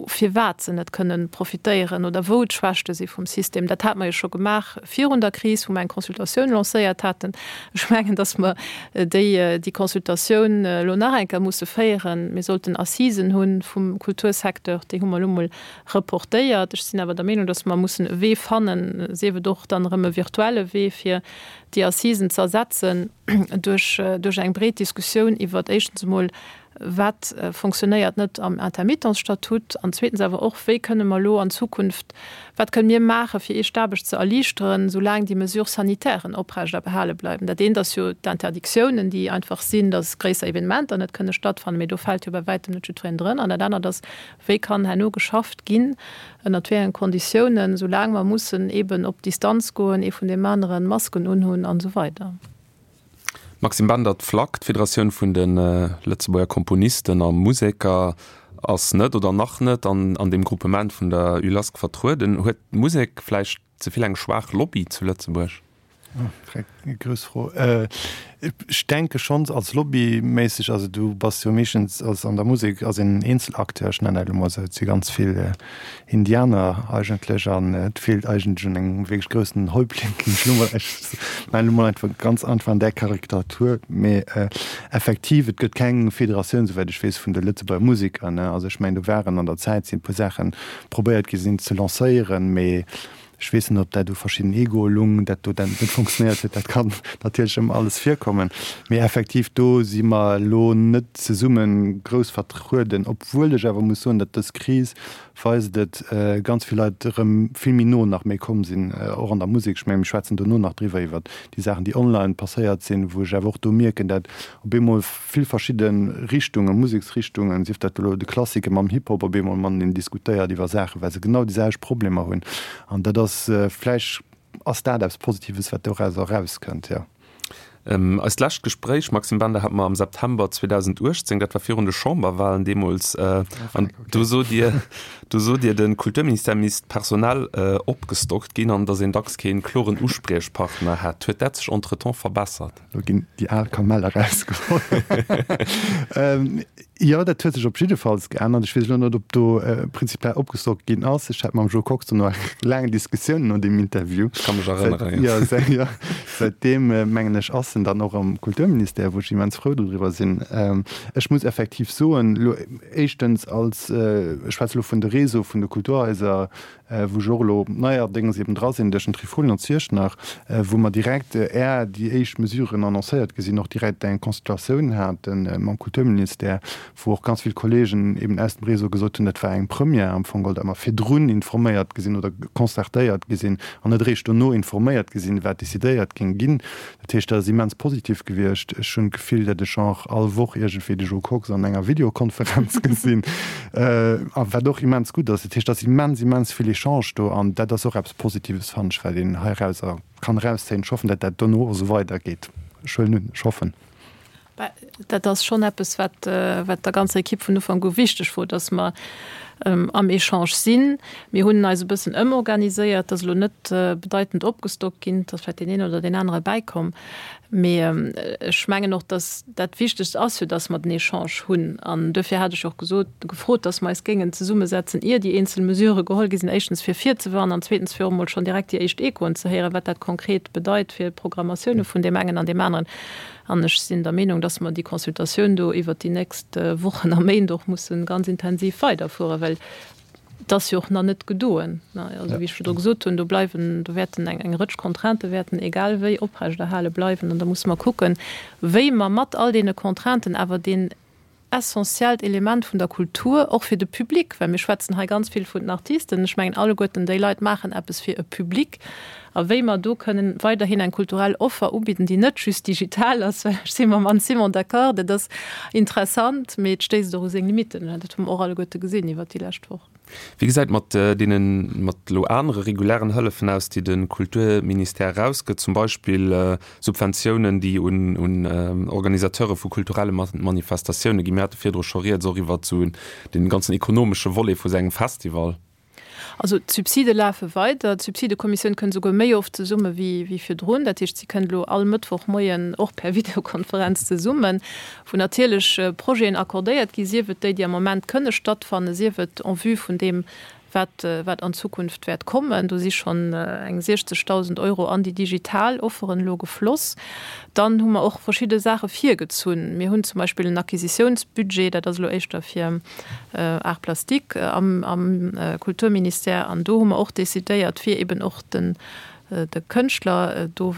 firwat se net kënnen profitéieren oder wou d'Schwächte si vum System. Dat hate mer jo scho gemaach virun der Kris, wou mer eng Consultatioun lancéiert haten. Ech mengen, datt mer déi, déi Consultatioun elo nach eng Kéier musse féieren. Mir sollten Assisen hu vum Kultursecteur, déi hu mer elo mol reportéiert. Ech sinn awer der Meenung, datt mer mussen e Wee fannen, sief et och dann erëm e virtuelle Wee, fir déi Assisen ze ersetzen duerch, duerch eng breet Diskussioun iwwert éischtens emol, Wat fonctionnéiert net am Intermittenzstatut? An zweetens awer och, Wéi kënne mer elo an Zukunft, wat kënne mir maachen, fir Iech d'Aarbecht ze erliichteren, soulaang déi Mesures sanitairen oprecht a behale bleiwen? Dat eent ass jo d'Interdictiounen, déi einfach sinn, dass gréisser Evenementer net kënne stattfannen, mee do fält jo bei wäitem net jiddwereen drënner. An dat anert ass, Wéi kann herno geschafft ginn, ënnert wéi engen Konditiounen, soulaang mer mussen eeben op Distanz goen, ee vun deem aneren, Masken unhunn an esou weider? Maxime Bender, D'Flac, d'Federatioun vun de Lëtzebuerger Komponisten a Museker, ass net oder nach net an an deem Gruppement vun der ULASC vertrueden. Huet d'Musek vläicht ze vill eng schwaach Lobby zu Lëtzebuerg? Grouss Fro. Ech denke schonns als lobbyméisseg, also du bass jo meeschtens als an der Musek als een Eenzelacteur, ech nennen dat elo mol esou, et si ganz vill Indianer eigentlech an et feelt eigentlech un engem wierklech groussen Häuptling, ginn ech elo mol, ech maachen elo mol einfach ganz einfach an där Karikatur, mee effektiv, et gëtt keng Federatioun, souwäit ech weess, vun de Lëtzebuerger Museker, ne. Also ech mengen, do waren an der Zäit sinn e puer Saachen probéiert gi sinn ze lancéieren, mee Ech weess net, ob dat u verschidden Egoe lung, dat do dann net funktionéiert huet. Dat kann natierlech ëmmer alles virkommen. Mee effektiv, do si mer elo net zesumme grouss vertrueden, obwuel ech awer muss soen, datt dës Kris weist et, ganz vill Leit erëm vill méi no nach méi komm sinn, och an der Musek. Ech mengen, mir schwätzen dono nach driwwer, iwwer déi Saachen, déi online passéiert sinn, wou ech awer och do mierken, dat op eemol vill verschidde Richtungen, Museksrichtungen, sief dat elo de Klassike mam Hip-Hop, op eemol mateneen diskutéiert iwwer Saachen, well se genau déi selwecht Problemer hunn. An dat ass, vläicht ass dat eppes Positives, wat dorauser erauskënnt, jo. Eist lescht Gespréich, Maxime Bender, hate mer am September zweedausenduechtzéng, dat war virun de Chamberwahlen deemools. An do sot Dir, do sot Dir, de Kulturministère misst personell opgestockt ginn an datt een dacks kee kloren Uspriechpartner hätt. Huet dat sech entretemps verbessert? Lo ginn déi al Kamell erausgeholl. Jo, dat huet sech op jiddefalls geännert. Ech weess elo net, ob do prinzipiell opgestockt ginn ass. Ech hat mam Jo Kox do nach eng laang Diskussioun no deem Interview. Ech ka mech erënneren, jo. Jo, säitdeem, mengen ech, ass en dann och am Kulturministère, wou ech immens frou dodriwwer sinn. Ech muss effektiv soen, elo éischtens als, ech schwätze elo vun de Réseau vun de Kulturhaiser, wou ech och elo neierdéngs eben dra sinn duerch den Trifolion an Ziechtnach, wou mer direkt, är déi éischt Mesuren annoncéiert gi sinn, och direkt eng Consultatioun hate mam Kulturministère, wou och ganz vill Kollegen eben aus dem Réseau gesot hunn, dat war eng Première am Fong geholl, datt mer virdrun informéiert gi sinn oder concertéiert gi sinn an net eréischt dono informéiert gi sinn, wat decidéiert géing ginn. Dat heescht, dat ass immens positiv gewiescht. Ech hunn d'Gefill, datt ech och all Woch iergendwéi de Jo Kox an enger Videokonferenz gesinn, a wat och immens gutt ass. Dat heescht, et ass immens, immens vill Echange do an dat ass och eppes Positives, fannen ech, wat een heirauser kann erauszéien. Ech hoffen, datt dat dono och esou weidergeet. Ech huelen un, ech hoffen. Dat ass schonn eppes, wat wat der ganzer Ekipp vun Ufank u wichteg wor, datt mer am Echange sinn. Mir hunn eis e bëssen ëmorganiséiert, et ass elo net bedeitend opgestockt ginn, et ass vläicht deen een oder deen anere bäikomm. Mee ech mengen och, datt dat Wichtegst ass jo, datt mer den Echange hunn. An duerfir hat ech och gesot, gefrot, datt mer eis géingen zesummesetzen, ier déi eenzel Mesurë geholl gi sinn, éischtens fir virzewarnen an zweetens fir och emol schonn direkt déi éischt Echoen ze héieren, wat dat konkret bedeit fir d'Programmatioune vun deem engen an deem aneren. An ech sinn der Meenung, datt mer déi Consultatioun do iwwert déi nächst Wochen a Méint och musse ganz intensiv weiderfueren, well et ass jo och nach net gedoen. Also wéi ech virdru gesot hunn, do bleiwen, do wäerten eng eng Rëtsch Contraintë wäerten egal wéi oprechterhale bleiwen. An da musse mer kucken, wéi mer mat all deene Contrainten awer deen essentiellt Element vun der Kultur och fir de Public, well mir schwätzen hei ganz vill vun den Artisten, ech mengen alleguerten déi Leit maachen eppes fir e Public, a wéi mer do kënnen weiderhin eng kulturell Offer ubidden, déi net just digital ass, well ech si mam Anne Simon d'accord, dat ass interessant, mee et stéisst och u seng Limitten, dat hu mer och alleguerte gesinn iwwert déi lescht Wochen. Wéi gesäit et mat deenen, mat elo anere regulären Hëllefen aus, déi de Kulturministère erausgëtt, zum Beispill Subventiounen, déi un un Organisateure vu kulturelle Manifestatioune ginn? Mir hate virdru scho rieds och iwwert esou dee ganzen ekonomesche Volet vu sou engem Festival. Also d'Subside lafe weider. D'Subsidekommissioun kënnt esouguer méi oft zesumme wéi virdrun. Dat heescht, si kënnt elo all Mëttwochmoien och per Videokonferenz zesummen, wou natierlech Projeten accordéiert ginn, sief et déi, déi am Moment kënne stattfannen, sief et en vue vun deem, wat wat an Zukunft wäert kommen. Do si schonn eng siechzegdausend Euro an déi digital Offeren elo gefloss. Dann hu mer och verschidde Saache virgezunn. Mir hunn zum Beispill en Acquisitiounsbudget, dat ass elo éischter fir Arts plastiques am am Kulturministère. An do hu mer och decidéiert, fir eben och den de Kënschtler do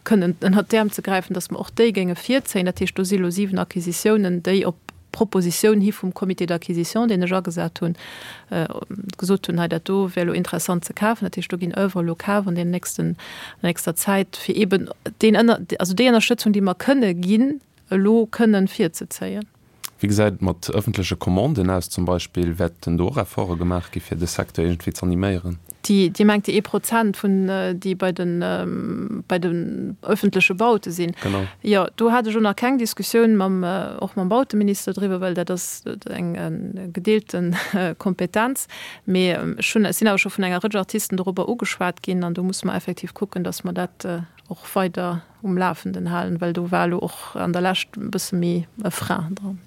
kënnen ënnert d'Äerm ze gräifen, datt mer och déi géinge virzéien. Dat heescht, do si elo siwen Acquisitiounen, déi op Propositioun hi vum Comité d'acquisition, deen ech agesat hunn, gesot hunn, hei dat do wär elo interessant ze kafen. Dat heescht, do ginn Oeuvren elo kaf an deenen nächsten, an der nächster Zäit, fir eeben deen ënner, also déi Ënnerstëtzung, déi mer kënne ginn, elo kënnen virzezéien. Wéi gesäit et mat ëffentleche Commanden aus zum Beispill? Wäerten do och Efforte gemaach gi fir de Secteur iergendwéi z'animéieren? Déi, Dir mengt déi ee Prozent vun, déi bei de, bei den ëffentleche Baute sinn? Genau. Jo, do hat ech elo nach keng Diskussioun mam, och mam Bauteminister driwwer, well dat ass eng gedeelte Kompetenz. Mee ech hunn, ech sinn awer scho vun enger Rëtsch Artisten dorobber ugeschwat ginn an do musse mer effektiv kucken, datt mer dat och weider um Lafenden halen, well do war elo och an der Lescht e bësse méi e Frein dran.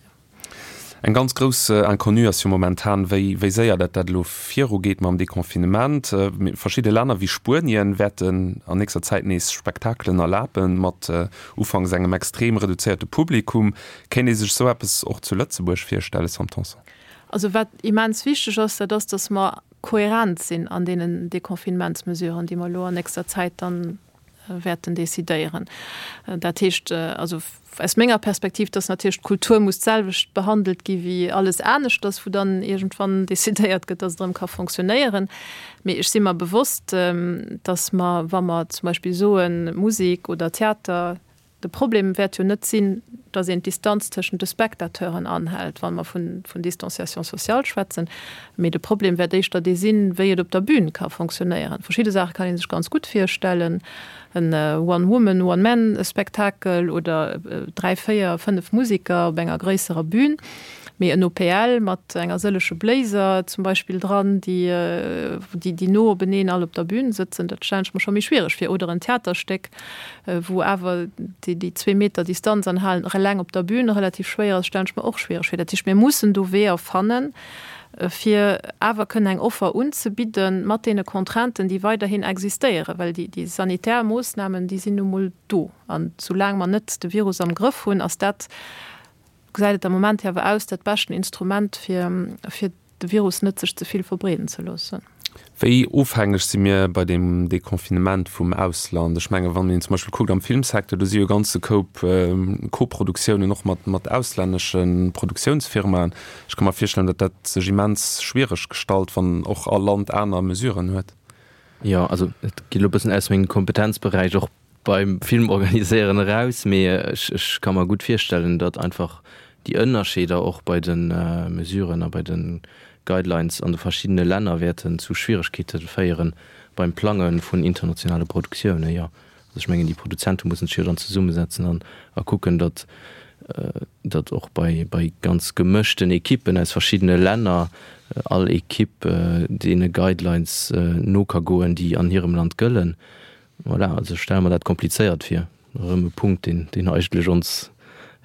Eng ganz grouss Inconnue ass jo momentan, wéi wéi séier dat dat elo virugeet mam Deconfinement. Verschidde Länner wéi Spuenien wäerten an nächster Zäit nees Spektakelen erlaben, mat ufanks engem extrem reduzéierte Publikum. Kéint ee sech esou eppes och zu Lëtzebuerg virstellen, Sam Tanson? Also wat immens wichteg ass, dat ass, dass mer kohärent sinn an deenen Deconfinementsmesuren, déi mer elo an nächster Zäit dann wäerten decidéieren. Dat heescht also aus menger Perspektiv, dass natierlech d'Kultur muss d'selwecht behandelt gi wéi alles aneschters, wou dann iergendwann decidéiert gëtt, dass et erëm ka fonctionnéieren. Mee ech si mer bewosst, dass mer, wa mer zum Beispill soen, Musek oder Theater, De Problem wäert jo net sinn, datt een d'Distanz tëschent de Spectateuren anhält, wa mer vun Distanciation sociale schwätzen, mee de Problem wäert éischter dee sinn, wéi et op der Bühn ka fonctionnéieren. Verschidde Saache kann ee sech ganz gutt virstellen, en One-Woman-, One-Man-Spektakel oder dräi, véier, fënnef Museker op enger gréisserer Bühn. Mee en O P L mat enger sëlleche Bléiser zum Beispill dran, déi déi no openeen all op der Bühn sëtzen, dat stellen ech mer scho méi schwiereg vir. Oder en Theaterstéck, wou awer déi déi zwee Meter Distanz anhalen eleng op der Bühn relativ schwéier ass, stellen ech mer och schwiereg vir. Dat heescht, mir mussen do Weeër fannen, fir awer kënnen eng Offer unzebidden mat deene Contrainten, déi weiderhin existéieren, well déi déi sanitär Moossnamen, déi sinn nu mol do. An soulaang mer net de Virus am Grëff hunn, ass dat, gesäit et am Moment hier awer aus, dat beschten Instrument, fir, fir de Virus net sech ze vill verbreeden ze loossen. Wéi ofhängeg si mir bei deem Deconfinement vum Ausland? Ech menge wann een zum Beispill kuckt am Filmsecteur, do si jo e ganze Koup Koproduktiounen och mat, mat auslännesche Produktiounsfirmaen. Ech ka mer virstellen, datt dat sech immens schwiereg gestalt, wann och all Land aner Mesuren huet. Jo, also et geet elo e bëssen aus mengem Kompetenzberäich och beim Film organiséieren eraus, mee ech, ech ka mer gutt virstellen, datt einfach déi Ënnerscheeder och bei de Mesuren a bei de Guidelines an de verschiddene Länner wäerten zu Schwieregkeete féiere beim Plange vun internationale Produktiounen. Jo, also ech mengen, déi Produzente mussen sech jo dann zesummesetzen an a kucken, datt datt och bei bei ganz gemëschten Ekippen aus verschiddene Länner all Ekipp deene Guidelines no ka goen, déi an hirem Land gëllen. Voilà, also ech stelle mer dat komplizéiert vir. Erëm e Punkt, deen, deen eigentlech ons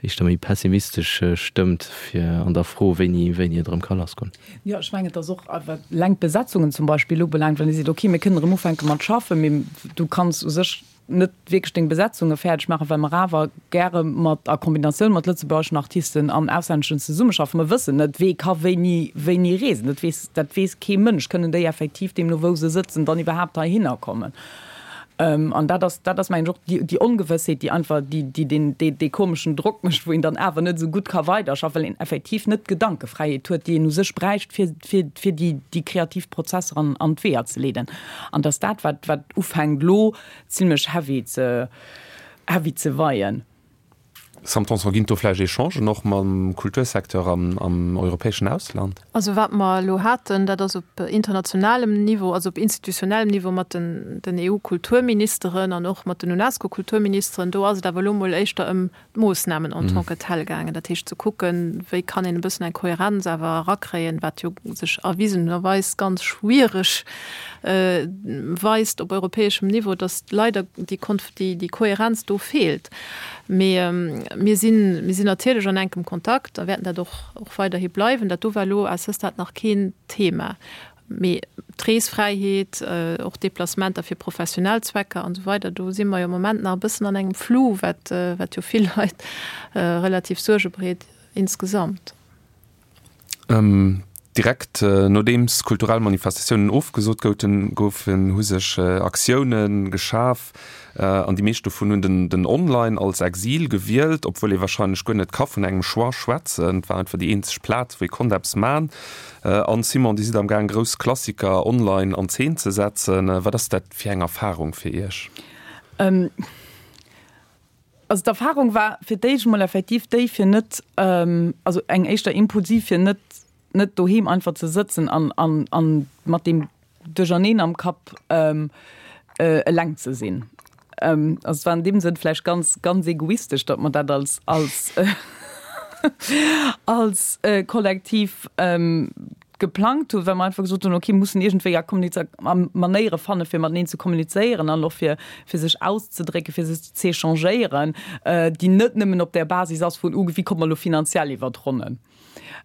éischter méi pessimistesch stëmmt fir an der Fro, wéini, wéini et erëm ka lassgoen. Jo, ech mengen, et ass och, wat eleng d'Besetzungen zum Beispill ubelaangt, wann ee seet, okay, mir kënnen erëm ufänke mat schaffen, mee du kanns u sech net wierklech deng Besetzunge fäerdeg maachen, well mer awer gäre mat a Kombinatioun mat lëtzebuergeschen Artisten an auslänneschen zesummeschaffen. Mer wëssen net, wee ka wéini wéini reesen. Dat weess dat weess kee Mënsch. Kënnen déi effektiv, deemno wou se sëtzen, dann iwwerhaapt heihinner kommen? An dat ass dat ass mengen ech och déi déi Ongewëssheet, déi einfach déi déi deen dee dee komeschen Drock mécht, wou een dann awer net esou gutt ka weiderschaffen, well een effektiv net d'Gedankefräiheet huet, déi een u sech bräicht, fir fir fir déi déi kreativ Prozesser an an d'Weeër ze leeden. An dass dat wat wat ufänkt elo zimlech heavy ze heavy ze weien. Sam Tanson, Ginn et do vläicht Echangen och mam Kultursecteur am am europäeschen Ausland? Also wat mer elo haten, dat ass op internationalem Niveau, also op institutionellem Niveau mat den den E U-Kulturministeren an och mat den UNESCO-Kulturministeren. Do ass et awer elo mol éischter ëm d'Moossnamen en tant que telles gaangen. Dat heescht ze kucken, wéi kann een e bëssen eng Kohärenz awer erakréien, wat jo sech erwisenerweis ganz schwiereg weist op europäeschem Niveau, dass leider déi déi Kohärenz do feelt. Mee mir sinn, mir sinn natierlech an enkem Kontakt a wäerten dat och och weiderhi bleiwen. Dat do war elo à ce stade nach keen Thema. Mee d'Reesfräiheet, och Déplacementer fir professionell Zwecker an esou weider, do si mer jo am Moment nach e bëssen an engem Flou, wat wat jo vill Leit relativ Suerge bereet insgesamt. Direkt nodeems kulturell Manifestatiounen ofgesot goufen, hu sech Aktioune geschaf an déi meescht dovun hunn den Online als Exil gewielt, obwuel ee warscheinlech guer net ka vun engem Choix schwätzen. Et war einfach déi eenzeg Plaz, wou ee konnt eppes man. Anne Simon, Dir sidd am gaang grouss Klassiker online an Zeen ze setzen. Wat ass dat fir eng Erfarung fir Iech? Also d'Erfarung war fir d'éischt emol effektiv déi, fir net, also eng éischter impulsiv, fir net net doheem einfach ze sëtzen an an an mat deem Duercherneen am Kapp eleng ze sinn. Also et war an deem Sënn vläicht ganz ganz egoistesch, datt mer dat als als als Kollektiv geplangt hunn, well mer einfach gesot hunn, okay, mir mussen iergendwéi a Kommuniza a Manéiere fanne fir mateneen ze kommunizéieren an och fir fir sech auszedrécken, fir sech z'échangéieren, déi net nëmmen op där Basis ass vun, uh, wéi komme mer elo finanziell iwwer d'Ronnen.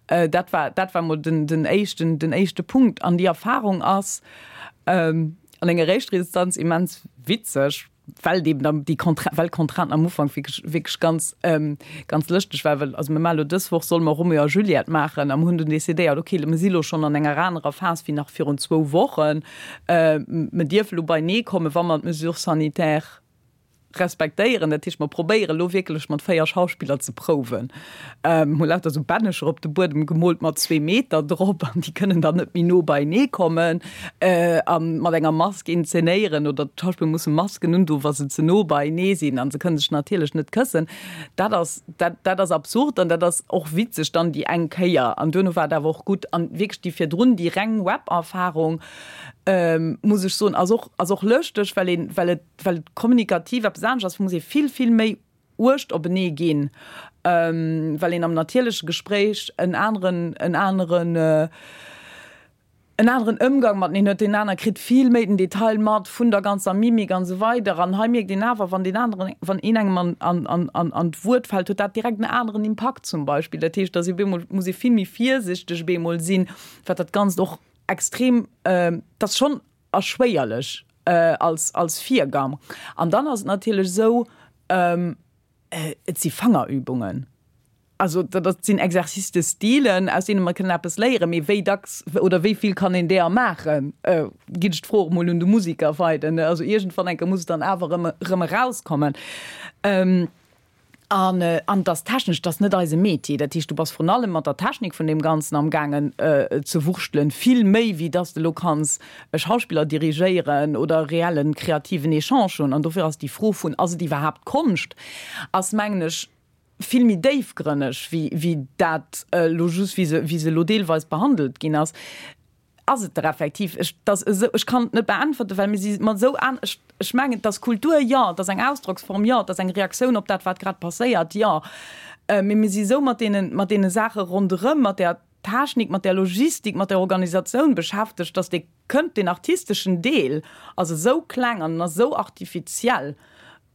Dat war dat war mol den den éischten den éischte Punkt. An déi Erfahrung ass an enger éischter Instanz immens witzeg, well eben dann déi Contra well d'Contrainten am Ufank wierklech, wierklech ganz, ganz lëschteg war, well also mir maache lo dës Woch solle mer Romeo a Juliette maachen a mer hunn dunn decidéiert, okay, mir si lo schonn an enger anerer Phas wéi nach virun zwou Wochen, mer dierfe lo beienee kommen, wa mer d'Mesures sanitaires respektéieren. Dat heescht, mer probéieren elo wierklech mat véier Schauspiller ze prouwen. Hu lauter esou Bännecher op de Buedem gemoolt mat zwee Meter drop an déi kënnen dann net méi no beienee kommen a mat enger Mask inzenéieren oder d'Schauspiller musse Masken undoen, wa se ze no beienee sinn a se kënne sech natierlech net këssen. Dat ass, dat, dat ass absurd an dat ass och witzeg dann déi eng Kéier an duerno war et awer och gutt. An wierklech déi virdrun, déi reng Web-Erfarung, muss ech soen, ass och, ass och lëschteg, well een, well et, well et kommunikativ eppes anescht ass, muss ee vill, vill méi uecht openee ginn, well een am natierleche Gespréich en aneren, en aneren, en aneren Ëmgang mateneen huet. Deen aner kritt vill méi den Detail mat vun der ganzer Mimik an esou weider. An hei mierkt een awer, wann deen aneren, wann een engem an, an, an, an, an d'Wuert fält, huet dat direkt en aneren Impakt zum Beispill. Dat heescht, dass ee bemol, muss ee vill méi virsichteg bemol sinn, wat dat Ganzt och extrem, dat ass schonn erschwéierlech als, als Virgang. An dann ass et natierlech esou, et si Fangerübungen. Also dat sinn Exercices de style, aus deene mer kënnen eppes léieren, mee wéi dacks oder wéi vill kann een deeër maachen, ginn ech d'Fro och emol un de Musiker weider. Also iergendwann eng Kéier muss et dann awer erëm, erëm erauskommen. An an et ass technesch, et ass net eise Metier. Dat heescht, du bass vrun allem mat der Technik vun deem Ganzen amgaangen ze wurschtelen, vill méi wéi dass de elo kanns e Schauspiller dirigéieren oder e reellen kreativen Echange hunn. An dofir ass déi Fro vun, ass et iwwerhaapt Konscht, ass mengen ech vill méi déifgrënneg wéi wéi dat elo just, wéi se wéi se elo deelweis behandelt ginn ass. Ass et der effektiv? Ech, dass esou, ech kann et net beäntwerten, well mir si mat esou an, ech, ech mengen, et ass Kultur, jo, et ass eng Ausdrocksform, jo, et ass eng Reaktioun op dat, wat grad passéiert, jo, mee mir si esou mat deenen, mat deene Saache ronderëm, mat där Technik, mat där Logistik, mat där Organisatioun beschäftegt, dass dee kënnt, deen artisteschen Deel ass esou kleng an en ass esou artifiziell.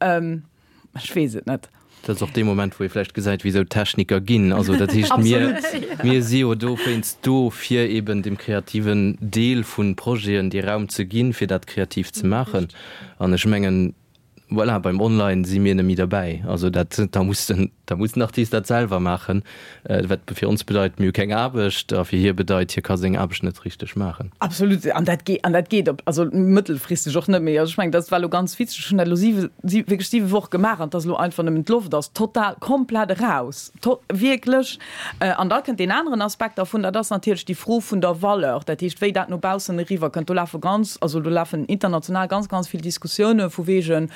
Ech weess et net. Dat ass och dee Moment, wou ee vläicht gesäit, wéi esou Techniker ginn. Also dat heescht, mir, mir si jo dowéinst do, fir eben dem kreativen Deel vu Projeten dee Raum ze ginn, fir dat kreativ ze maachen. An ech mengen, voilà, beim Online si mir net méi derbäi. Also dat, da muss den, da muss den Artist dat selwer maachen, wat fir ons bedeit, mir hu keng Aarbecht, a fir hie bedeit, hie ka seng Aarbecht net richteg maachen. Absolut, an dat geet, an dat geet op, also mëttelfristeg och net méi. Also ech mengen, dat war elo ganz witzeg, ech hunn dat elo siwe, si wierklech siwe Woche gemaach an et ass elo einfach nëmmen, d'Loft ass total, komplett eraus, to wierklech. An da kënnt deen aneren Aspekt dervun, dat ass natierlech déi Fro vun der Valeur, dat heescht, wéi dat no baussen eriwwerkënnt. Do lafe ganz, also do lafen international ganz, ganz vill Diskussioune vu wegen,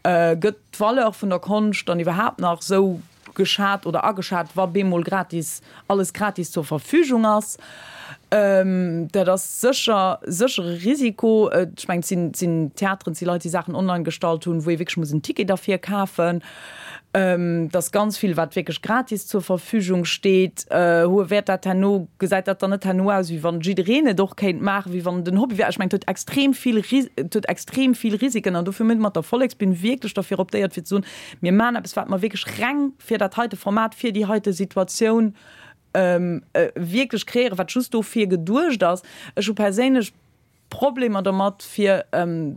Gëtt d'Valeur vun der Konscht dann iwwerhaapt nach esou geschat oder ageschat, wa bemol gratis, alles gratis zur Verfügung ass? Dat ass sécher, sécher e Risiko. Ech mengen, et sinn, et sinn Theateren, et si Leit, déi Saachen online gestallt hunn, wou ee wierklech muss en Ticket derfir kafen. Et ass ganz vill, wat wierklech gratis zur Verfügung steet. Hu wäert dat herno, gesäit dat dann net herno aus, wéi wann jiddereen et och kéint maachen, wéi wann et en Hobby wär? Ech mengen, et huet extrem vill, et huet extrem vill Risiken. An dofir hu mir mat der Volleksbün wierklech derfir optéiert, fir ze soen, Mir maachen eppes, wat mer wierklech reng fir dat heite Format, fir déi heite Situatioun wierklech kreéieren, wat just dofir geduecht ass. Ech hu perséinlech Problemer domat, fir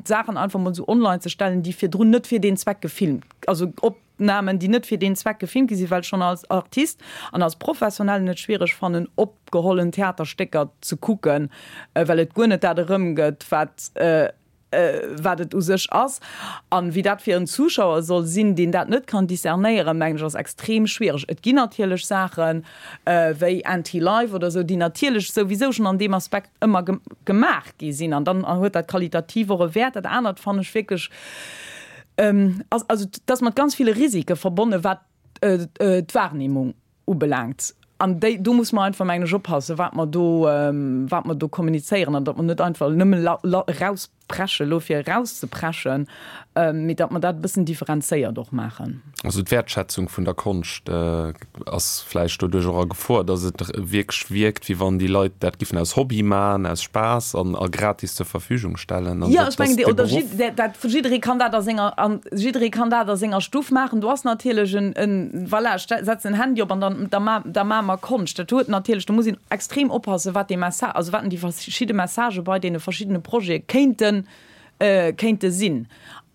Saachen einfach mol esou online ze stellen, déi virdrun net fir deen Zweck gefilmt, also Opnamen, déi net fir deen Zweck gefilmt gi sinn, well ech schonn als Artist an als Professionellen et schwiereg fannen, opgehollen Theaterstécker ze kucken, well et guer net dat erëmgëtt, wat wat et u sech ass. An wéi dat fir en Zuschauer soll sinn, deen dat net kann discernéieren, mengen ech, ass extrem schwiereg. Et ginn natierlech Saachen, wéi Anti-Life oder esou, déi natierlech souwisou schonn an deem Aspekt ëmmer gemaach gi sinn. An dann huet dat qualitativ och e Wäert. Dat anert fannen ech wierklech, ass, also et ass mat ganz ville Risike verbonnen, wat d'Wahrnehmung ubelaangt. An déi, do muss mer einfach, mengen ech, oppassen, wat mer do, wat mer do kommunizéieren an datt mer net einfach nëmme erauspreschen elo fir erauszepreschen, mee datt mer dat e bëssen differenzéiert och maachen. Also d'Wäertschätzung vun der Konscht ass vläicht doduerch och a Gefor, datt et wierklech wierkt, wéi wann déi Leit dat giffen aus Hobby maachen, aus Spaass an a gratis zur Verfügung stellen. Jo, ech mengen, oder dat, jidderee kann dat a senger, jidderee kann dat a senger Stuff maachen. Do ass natierlech en, en, voilà, ech setzen en Handy op an dann, da ma, da maache mer Konscht. Dat huet natierlech, do muss een extrem oppassen, wat dee Messa, also wat déi verschidde Messagë bei deene verschiddene Projete kéinten kéinte sinn.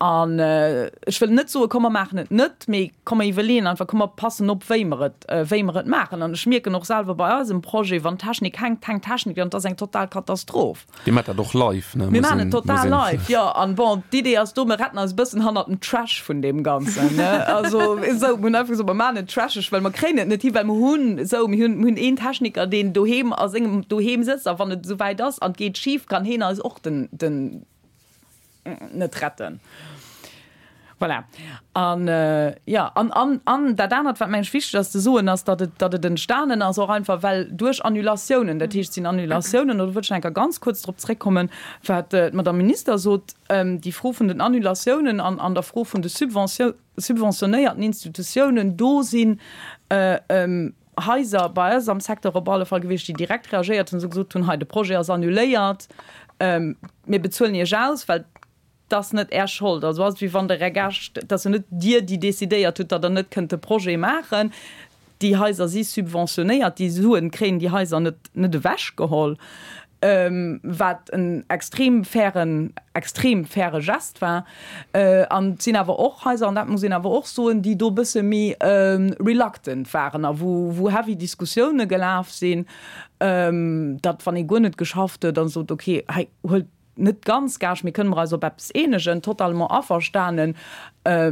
An ech wëll net soen, komm mer maachen et net, mee komm mer iwwerleeën einfach, komm mer passen op, wéi mer et, wéi mer et maachen. An ech mierken och selwer bei eisem Projet, wann d'Technik hänkt, hänkt d'Technik an et ass eng total Katastroph. Dir maacht dat och live, ne? Mir maachen et total live, jo. An bon, d'Idee ass do, mer retten eis e bëssen hannert dem Trash vun deem Ganzen, ne? Also esou, mir hunn einfach gesot, mer maachen et trasheg, well mer kréien et net hi, well mer hunn esou, mir hunn, mir hunn een Techniker, deen doheem a sengem Doheem sëtzt a wann et esouwäit ass an et geet schif, kann heen eis och den, den, net retten. Voilà. An, jo, an, an, an dat anert, wat mengen ech wichteg ass ze soen, ass, datt et, datt et entstanen ass och einfach, well duerch Annulatiounen, dat heescht, et sinn Annulatiounen, an do wëllt ech nach eng Kéier ganz kuerz drop zréckkommen, wat d'Madame Minister sot, déi Fro vun den Annulatiounen an, an der Fro vun de Subventio-, subventionéierten Institutiounen, do sinn Haiser bei eis am Secteur op alle Fall gewiescht, déi direkt reagéiert hunn, se gesot hunn, hei de Projet ass annuléiert, mir bezuelen Iech aus, well 't ass net Är Schold. Also ass et wéi wann Der Är Gäscht, et ass jo net Dir, déi decidéiert hutt, datt Der net kënnt de Projet maachen. Déi Haiser si subventionéiert, déi Suen kréien déi Haiser net net ewechgeholl, wat en extrem fairen, extrem faire Gest war. An et sinn awer och Haiser, an dat muss een awer och soen, déi do e bësse méi reluctant waren a wou wou heavy Diskussioune gelaf sinn, datt wann ee guer net geschafft huet a sot, okay, hei huelt net ganz Gage, mee kënne mer eis op eppes eenegen, totalement averstanen,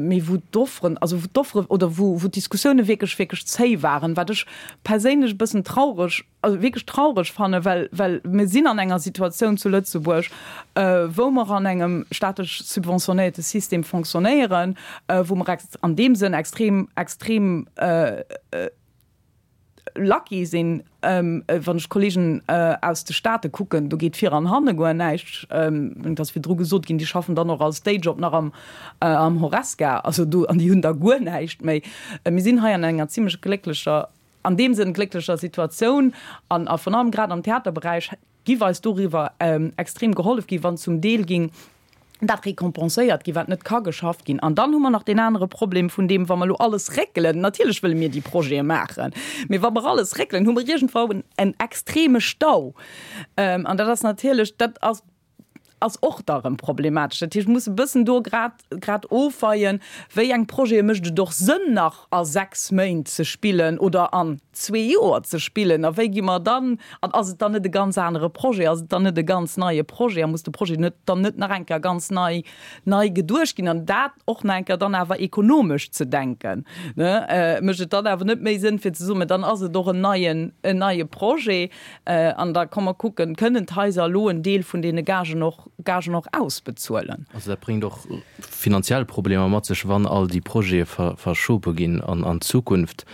mee wou d'Offeren, also wou d'Offere oder wou wou d'Diskussioune wierklech, wierklech zéi waren, wat ech perséinlech e bëssen traureg, also wierklech traureg fannen, well well mir sinn an enger Situatioun zu Lëtzebuerg, wou mer an engem staatlech subventionéierte System fonctionnéieren, wou mer ex an deem Sënn extrem, extrem lucky sinn. Wann ech d'Kollegen aus de Staate kucken, do geet vir an hanne guer näischt. Et ass virdru gesot ginn, déi schaffen dann och als Dayjob nach am am Horesca, also do, an déi hunn da guer näischt méi. Mir sinn hei an enger zimlech glécklecher, an deem Sënn glécklecher Situatioun an a virun allem grad am Theaterberäich giff eis doriwwer extrem gehollef ginn, wann zum Deel ging dat récompenséiert ginn, wat net ka geschafft ginn. An dann hu mer nach deen anere Problem vun deem, wa mer elo alles réckelen, natierlech wëlle mir déi Projete maachen, mee wa mer alles réckelen, hu mer iergendwou en extreme Stau. An dat ass natierlech, dat ass ass och da rëm problematesch. Dat heescht, mir musse bëssen do grad grad ofweien, wéi eng Projete mécht et och Sënn nach a sechs Méint ze spillen oder an zwee Joer ze spillen a wéi gi mer dann, an ass et dann net e ganz anere Projet, ass et dann net e ganz neie Projet a muss de Projet net dann net nach eng Kéier ganz nei nei geduecht ginn an dat och nach eng Kéier dann awer ekonomesch ze denken, ne, mécht et dann awer net méi Sënn fir ze soen, mä dann ass et och en neien en neie Projet an da komm mer kucken, kënnen d'Haiser elo en Deel vun deene Gagen och Gagen och ausbezuelen. Also dat bréngt och finanziell Problemer mat sech, wann all déi Projete verschobe ginn an d'Zukunft,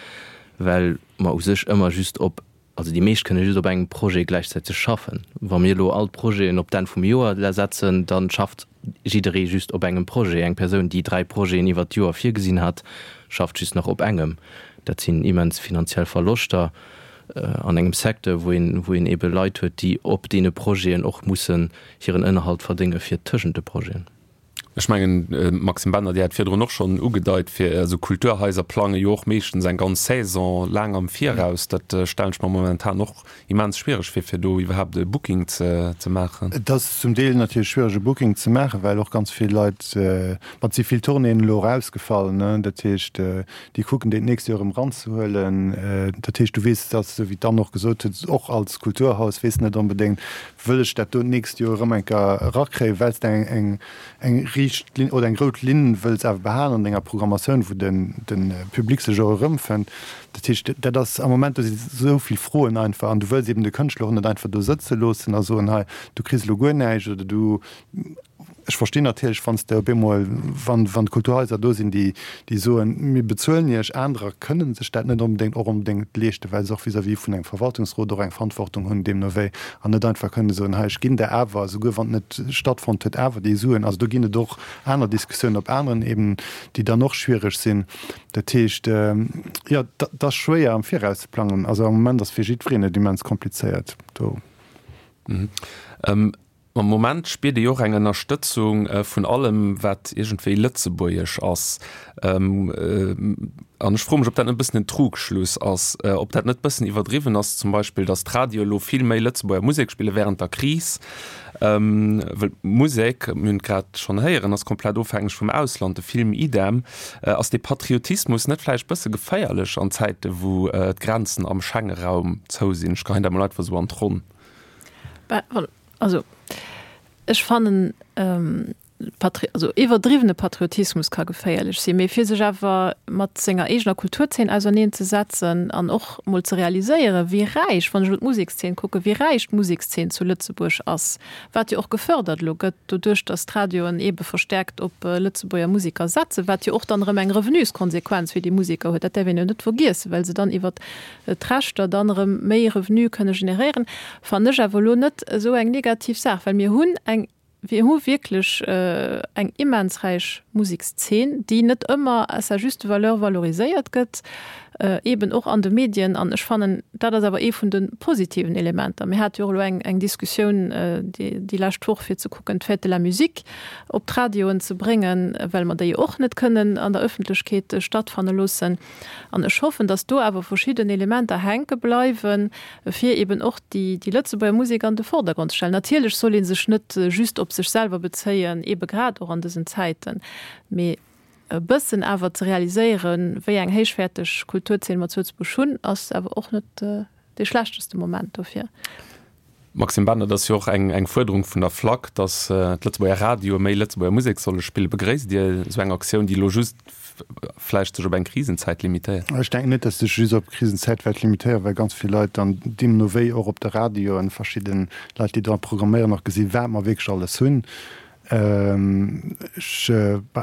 well mer u sech ëmmer just op, also déi meescht kënne just op engem Projet gläichzäiteg schaffen. Wa mir elo all d'Projeten op d'Enn vum Joer setzen, da schafft jidderee just op engem Projet. Eng Persoun, déi dräi Projeten iwwert d'Joer virgesinn hat, schafft just nach op engem. Dat sinn immens finanziell Verloschter an engem Secteur, wou een, wou een eebe Leit huet, déi op deene Projeten och mussen hiren Ënnerhalt verdénge fir tëschent de Projeten. Ech mengen, Maxime Bender, Dir hat virdrun och schonn ugedeit, fir, also Kulturhaiser plange jo och meeschtens eng ganz Saison laang am Viraus. Dat stellen ech mer momentan och immens schwiereg vir, fir do iwwerhaapt e Booking ze maachen. Et ass zum Deel natierlech schwiereg e Booking ze maachen, well och ganz vill Leit, ma et si vill Tournéeën elo och ausgefall, ne, dat heescht, déi kucken déi d'nächst Joer erëm eranzehuelen. Dat heescht, du weess, dat ass esou wéi d'Anne och gesot huet, och als Kulturhaus weess net onbedéngt, wëll ech dat do d'nächst Joer erëm eng Kéier erakréien, well s de eng, eng, eng riicht Linn oder eng rout Linn wëlls awer behalen an denger Programmatioun, wou den, de Public sech och erëmfënnt. Dat heescht, dat ass am Moment, do si sou vill Froen einfach an du wëlls eben de Kënschtler och net einfach do sëtze loossen a soen, hei, du kriss elo guer näischt oder du, ech verstinn natierlech, wann s de op eemol, wann, wann d'Kulturhaiser do sinn, déi, déi soen, mir bezuelen iech, anerer kënnen sech dat net onbedéngt och onbedéngt leeschten, well se och vis-à-vis vun engem Verwaltungsrot och eng Verantwortung hunn deemno wéi an net einfach kënnen soen, hei, ech ginn der awer, souguer wann et net stattfonnt huet, awer déi Suen. Also do ginn et och aner Diskussiounen op aneren Ebenen, déi dann och schwiereg sinn. Dat heescht, jo, et ass schwéier am Viraus ze plangen. Also am Moment ass fir jiddwereen et immens komplizéiert do. Am Moment spiert ee jo och eng Ënnerstëtzung vun allem, wat iergendwéi lëtzebuergesch ass. An ech froe mech, ob dat net e bëssen en Trugschluss ass, ob dat net e bëssen iwwerdriwwen ass, zum Beispill, datt d'Radioe lo vill méi Lëtzebuerger Musek spille wärend der Kris. Well d'Musek, mir hunn et grad schonn héieren, ass komplett ofhängeg vum Ausland, de Film idem. Ass dee Patriotismus net vläicht bësse geféierlech an Zäite wou d'Grenzen am Schengeraum zou sinn? Ech geheien dat mol einfach esou an d'Ronn. Also ech fannen, Patri also iwwerdriwwene Patriotismus ka geféierlech sinn, mee fir sech awer mat senger eegener Kulturzeen auserneen ze setzen an och mol ze realiséieren, wéi räich, wann ech elo d'Musekszeen kucken, wéi räich d'Musekszeen zu Lëtzebuerg ass, wat jo och gefördert elo gëtt doduerch, datt d'Radioen eebe verstärkt op Lëtzebuerger Museker setzen, wat jo och dann erëm eng Revenuskonsequenz fir déi Museker huet, dat däerf een jo net vergiessen, well se dann iwwert d'Rechter dann erëm méi Revenu kënne generéieren, fannen ech awer elo net esou eng negativ Saach, well mir hunn eng Mir hu wierklech eng immens räich Musekszeen, déi net ëmmer à sa juste valeur valoriséiert gëtt, eeben och an de Medien. An ech fannen, dat ass awer ee vun de positiven Elementer. Mir hate jo och elo eng, eng Diskussioun déi, déi lescht Woch, fir ze kucken, d'Fête de la musique op d'Radioen ze bréngen, well mer déi jo och net kënnen an der Ëffentlechkeet stattfanne loossen. An ech hoffen, datt do awer verschidden Elementer hänke bleiwen, fir eben och déi, déi Lëtzebuerger Musek an de Vordergrond ze stellen. Natierlech soll ee sech net just op sech selwer bezéien, ebe grad och an dësen Zäiten, mee e bëssen awer ze realiséieren, wéi eng héichwäerteg Kulturzeen mer zu Lëtzebuerg hunn, ass awer och net dee schlechteste Moment dofir. Maxime Bender, Et ass jo och eng eng Fuerderung vun der FLAC, datt d'Lëtzebuerger Radioe méi Lëtzebuerger Musek solle spillen. Begréisst Dir esou eng Aktioun, déi elo just vläicht sech op eng Krisenzäit limitéiert? Ech denken net, datt sech just op Krisenzäit wäert limitéieren, well ganz vill Leit dann deemno wéi och op de Radioen, verschidde Leit, déi dra programméieren, och gesinn, wat mer wierklech alles hunn. Ech,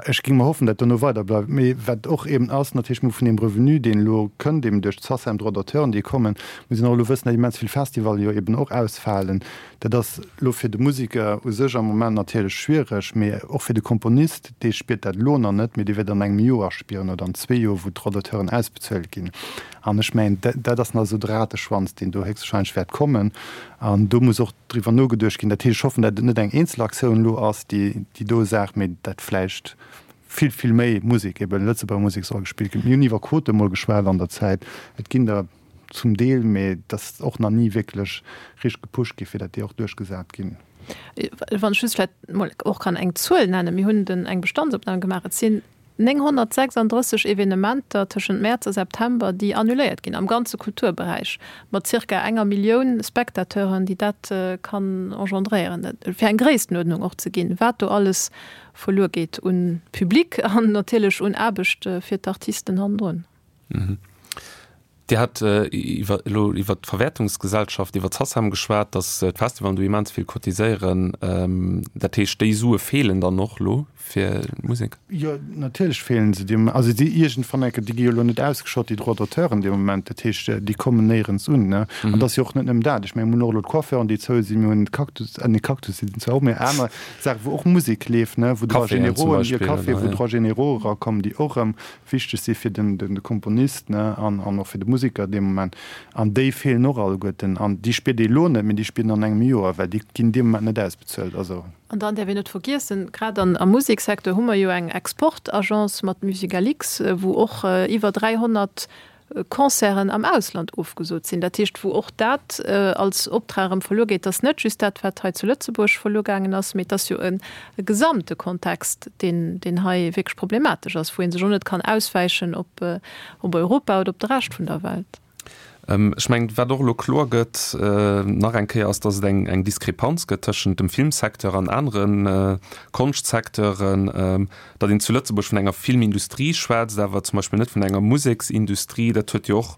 ech géing mer hoffen, dat dono weider bleift. Mee wat och eben ass, natierlech, mir hu vun deem Revenu, deen elo kënnt, eben duerch d'Sacem, Droits d'auteuren, déi kommen, muss een och elo wëssen, datt immens vill Festivalle jo eben och ausfalen. Dat ass elo fir de Museker u sech am Moment natierlech schwiereg, mee och fir de Komponist, dee spiert dat elo nach net, mee dee wäert an engem Joer spieren oder an zwee Joer, wou d'Droits d'auteuren ausbezuelt ginn. An ech mengen, dat ass nach esou de Rateschwanz, deen do héchstwahrscheinlech wäert kommen. An do muss och driwwer nogeduecht ginn. Dat heescht, ech hoffen, datt et net eng eenzel Aktioun elo ass, déi déi do Saach, mee datt vläicht vill, vill méi Musek, eben Lëtzebuerger Musek soll gespillt ginn. Mir hunn iwwer Quote mol geschwat an der Zäit. Et ginn der zum Deel, mee et ass och nach ni wierklech richteg gepusht gi fir datt déi och duerchgesat ginn. Wann ech just vläicht mol och kann eng Zuel nennen, Mir hunn den eng Bestandsopnam gemaach, et sinn nénghonnertsechsanddrësseg Evenementer tëschent Mäerz a September, déi annuléiert ginn am ganze Kulturberäich, mat zirka enger Millioun Spectateuren, déi dat kann engendréieren. Fir eng Gréisstenuerdnung och ze ginn, wat do alles verluer geet un Public an natierlech un Aarbecht fir d'Artisten hannendrun. Dir hat iwwer elo iwwer d'Verwäertungsgesellschaft, iwwer d'SACEM geschwat, datt d'Festivallen do immens vill cotiséieren. Dat heescht, déi Sue feelen dann och elo fir d'Musek? Jo, natierlech feelen se deem. Also déi iergendwann enke, déi gi jo elo net ausgeschott, déi Droits d'auteuren dee Moment. Dat heescht, déi kommen néierens un, ne. An et ass jo och net nëmmen dat. Ech mengen, mir hunn och elo d'Coiffeuren, déi zou sinn, mir hunn d'Cactus, nee Cactus sinn zwar och, mee aner Saachen, wou och Musek leeft, ne, wou Droits Caféen zum générauxen, Beispill, Caféen, oder, wou ja. Droits généraux erakommen, déi och erëm wichteg si fir den de Komponist, ne, an an och fir de Museker dee Moment. An déi feelen och alleguerten. An déi spiert ee elo net, mee déi spiert een an engem Joer, well déi ginn dee Moment net ausbezuelt. Also. An dann däerf een net vergiessen, grad an am Museksecteur hu mer jo eng Exportagence mat Musicalix, wou och iwwer dräihonnert Concerten am Ausland ofgesot sinn. Dat heescht, wou och dat als Optrag erëm verluer geet, ass net just dat, wat hei zu Lëtzebuerg verluer gaangen ass, mee et ass jo e gesamte Kontext, deen, deen hei wierklech problematesch ass, wou ee sech och net kann auswäichen op, op Europa oder op de Rescht vun der Welt. Ech mengen, wat och elo kloer gëtt nach eng Kéier, ass, datt et eng, eng Diskrepanz gëtt tëschent dem Filmsecteur an anere Konschtsecteuren, datt een zu Lëtzebuerg vun enger Filmindustrie schwätzt, awer zum Beispill net vun enger Museksindustrie. Dat huet jo och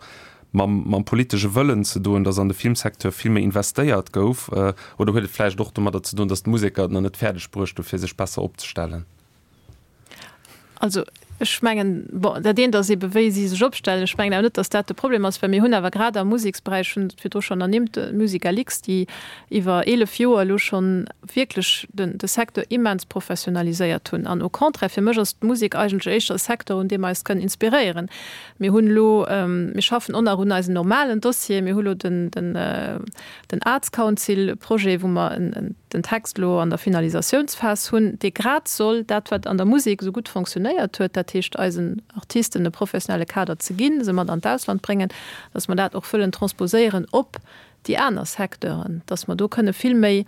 mam, mam politesche Wëllen ze doen, datt an de Filmsecteur vill méi investéiert gouf. Oder huet et vläicht och domadder ze doen, datt d'Museker et nach net fäerdeg bruecht hu fir sech besser opzestellen? Also ech mengen, bon, dat eent ass eebe wéi si sech opstellen. Ech mengen awer net, datt dat de Problem ass, well mir hunn awer grad am Museksberäich, ech hunn et virdru schonn ernimmt, d'Musicalix, déi iwwer eelef Joer elo schonn wierklech den de Secteur immens professionaliséiert hunn. An au contraire, fir mech ass d'Musek eigentlech éischter e Secteur, un deem mer eis kënnen inspiréieren. Mir hunn elo, mir schaffen och nach un eisen normalen Dossier, mir hu lo den den den Arts Council Projet, wou mer en den Text elo an der Finalisatiounsphas hunn, dee grad soll dat, wat an der Musek esou gutt fonctionnéiert huet, dat heescht eisen Artisten e professionelle Kader ze ginn, se mat an d'Ausland bréngen, dass mer dat och wëllen transposéieren op déi aner Secteuren, dass mer do kënne vill méi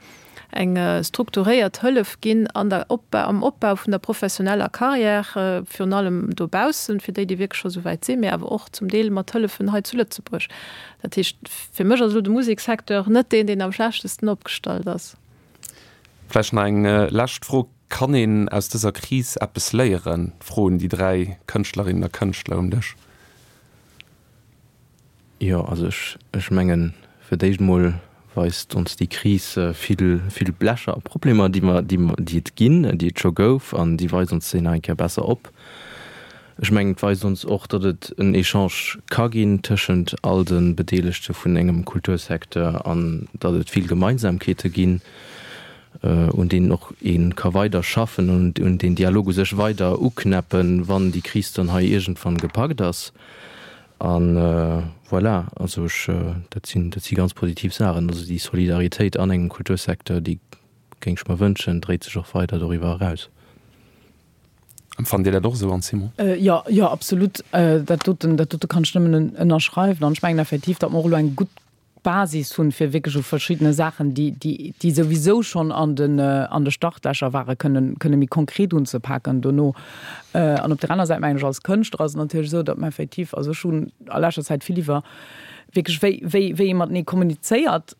eng strukturéiert Hëllef ginn an der Opbau, am Opbau vun der professioneller Carrière, virun allem dobaussen, fir déi, déi wierklech scho souwäit sinn, mee awer och zum Deel mat Hëllefen hei zu Lëtzebuerg. Dat heescht, fir mech ass elo de Musekssecteur net deen, deen am schlechtesten opgestallt ass. Vläicht nach eng lescht Fro, Kann een aus dëser Kris eppes léieren? Froen déi dräi Kënschtlerinnen a Kënschtler um Dësch. Jo, also ech, ech mengen, fir d'éischt emol weist ons déi Kris vill, vill Lächer a Problemer, déi mer, déi mer, déi et ginn, déi et scho gouf, an déi weist ons déi nach eng Kéier besser op. Ech mengen, et weist ons och, datt et en Echange ka ginn tëschent all de Bedeelegte vun engem Kultursecteur an datt et vill Gemeinsamkeete ginn, un deenen och ee ka weider schaffen an un deen Dialog u sech weider uknäppen, wann déi Kris dann hei iergendwann gepackt ass. A voilà, also ech, dat sinn, dat si ganz positiv Saachen. Also déi Solidaritéit an engem Kultursecteur, déi géing ech mer wënschen, dréit sech och weider doriwwer eraus. Empfannt Dir dat och esou, Anne Simon? Jo, jo, absolut. Dat doten, dat dote kann ech nëmmen ënnerschreiwen. An ech mengen effektiv, datt mer och elo eng gutt Basis hunn, fir wierklech u verschiddene Saachen, déi, déi, déi souwisou schonn an den, an de Startlächer ware kënnen, kënne méi konkret unzepaken dono. An op där aner Säit mengen ech, als Kënschtler ass et natierlech esou, datt mer effektiv, also ech hunn a leschter Zäit vill iwwer wierklech wéi, wéi, wéi ee matenee kommunizéiert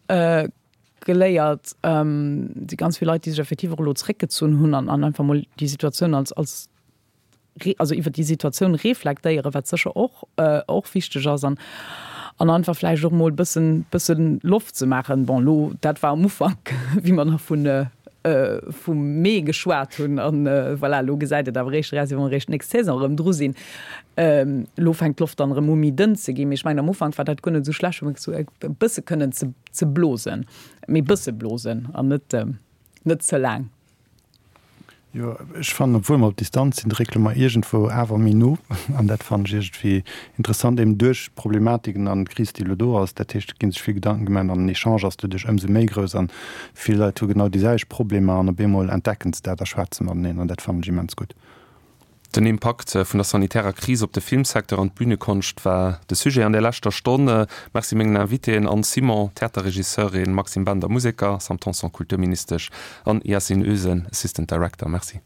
geléiert. Et si ganz vill Leit, déi sech effektiv och elo zréckgezunn hunn an, an einfach mol déi Situatioun als, als also iwwer déi Situatioun reflektéieren, wat sécher och, och wichteg ass an, an einfach vläicht och mol bëssen, bëssen Loft ze maachen. Bon, elo, dat war am Ufank, wéi mer nach vun, vum Mee geschwat hunn an voilà, elo gesäit et awer eréischt eraus, wéi wa mer eréischt d'nächst Saison erëm dru sinn. Elo fänkt d'Loft dann erëm u méi dënn ze ginn, mee ech mengen am Ufank war dat guer net esou schlecht, hu mer esou e bësse kënnen ze, ze blosen, mee bësse blosen an net, net ze laang. Jo, ech fannen, obwuel mer op Distanz sinn, dréckele mer iergendwou awer méi no. An dat fannen ech iergendwéi interessant, eben duerch d'Problematiken an d'Kris, déi elo do ass. Dat heescht, et gi sech vill Gedanken gemaach an den Echange ass doduerch ëmsou méi grouss an vill Leit hu genau déi selwecht Problemer an op eemol entdecken se dat a schwätze mateneen an dat fannen ech immens gutt. Den Impakt vun der sanitärer Kris op de Filmsecteur an d'Bünekonscht war de Sujet an der leschter Stonn. Merci mengen Invitéen, Anne Simon, Theaterregisseurin, Maxime Bender, Museker, Sam Tanson, Kulturministesch, an Yasin Özen, Assistant Director. Merci.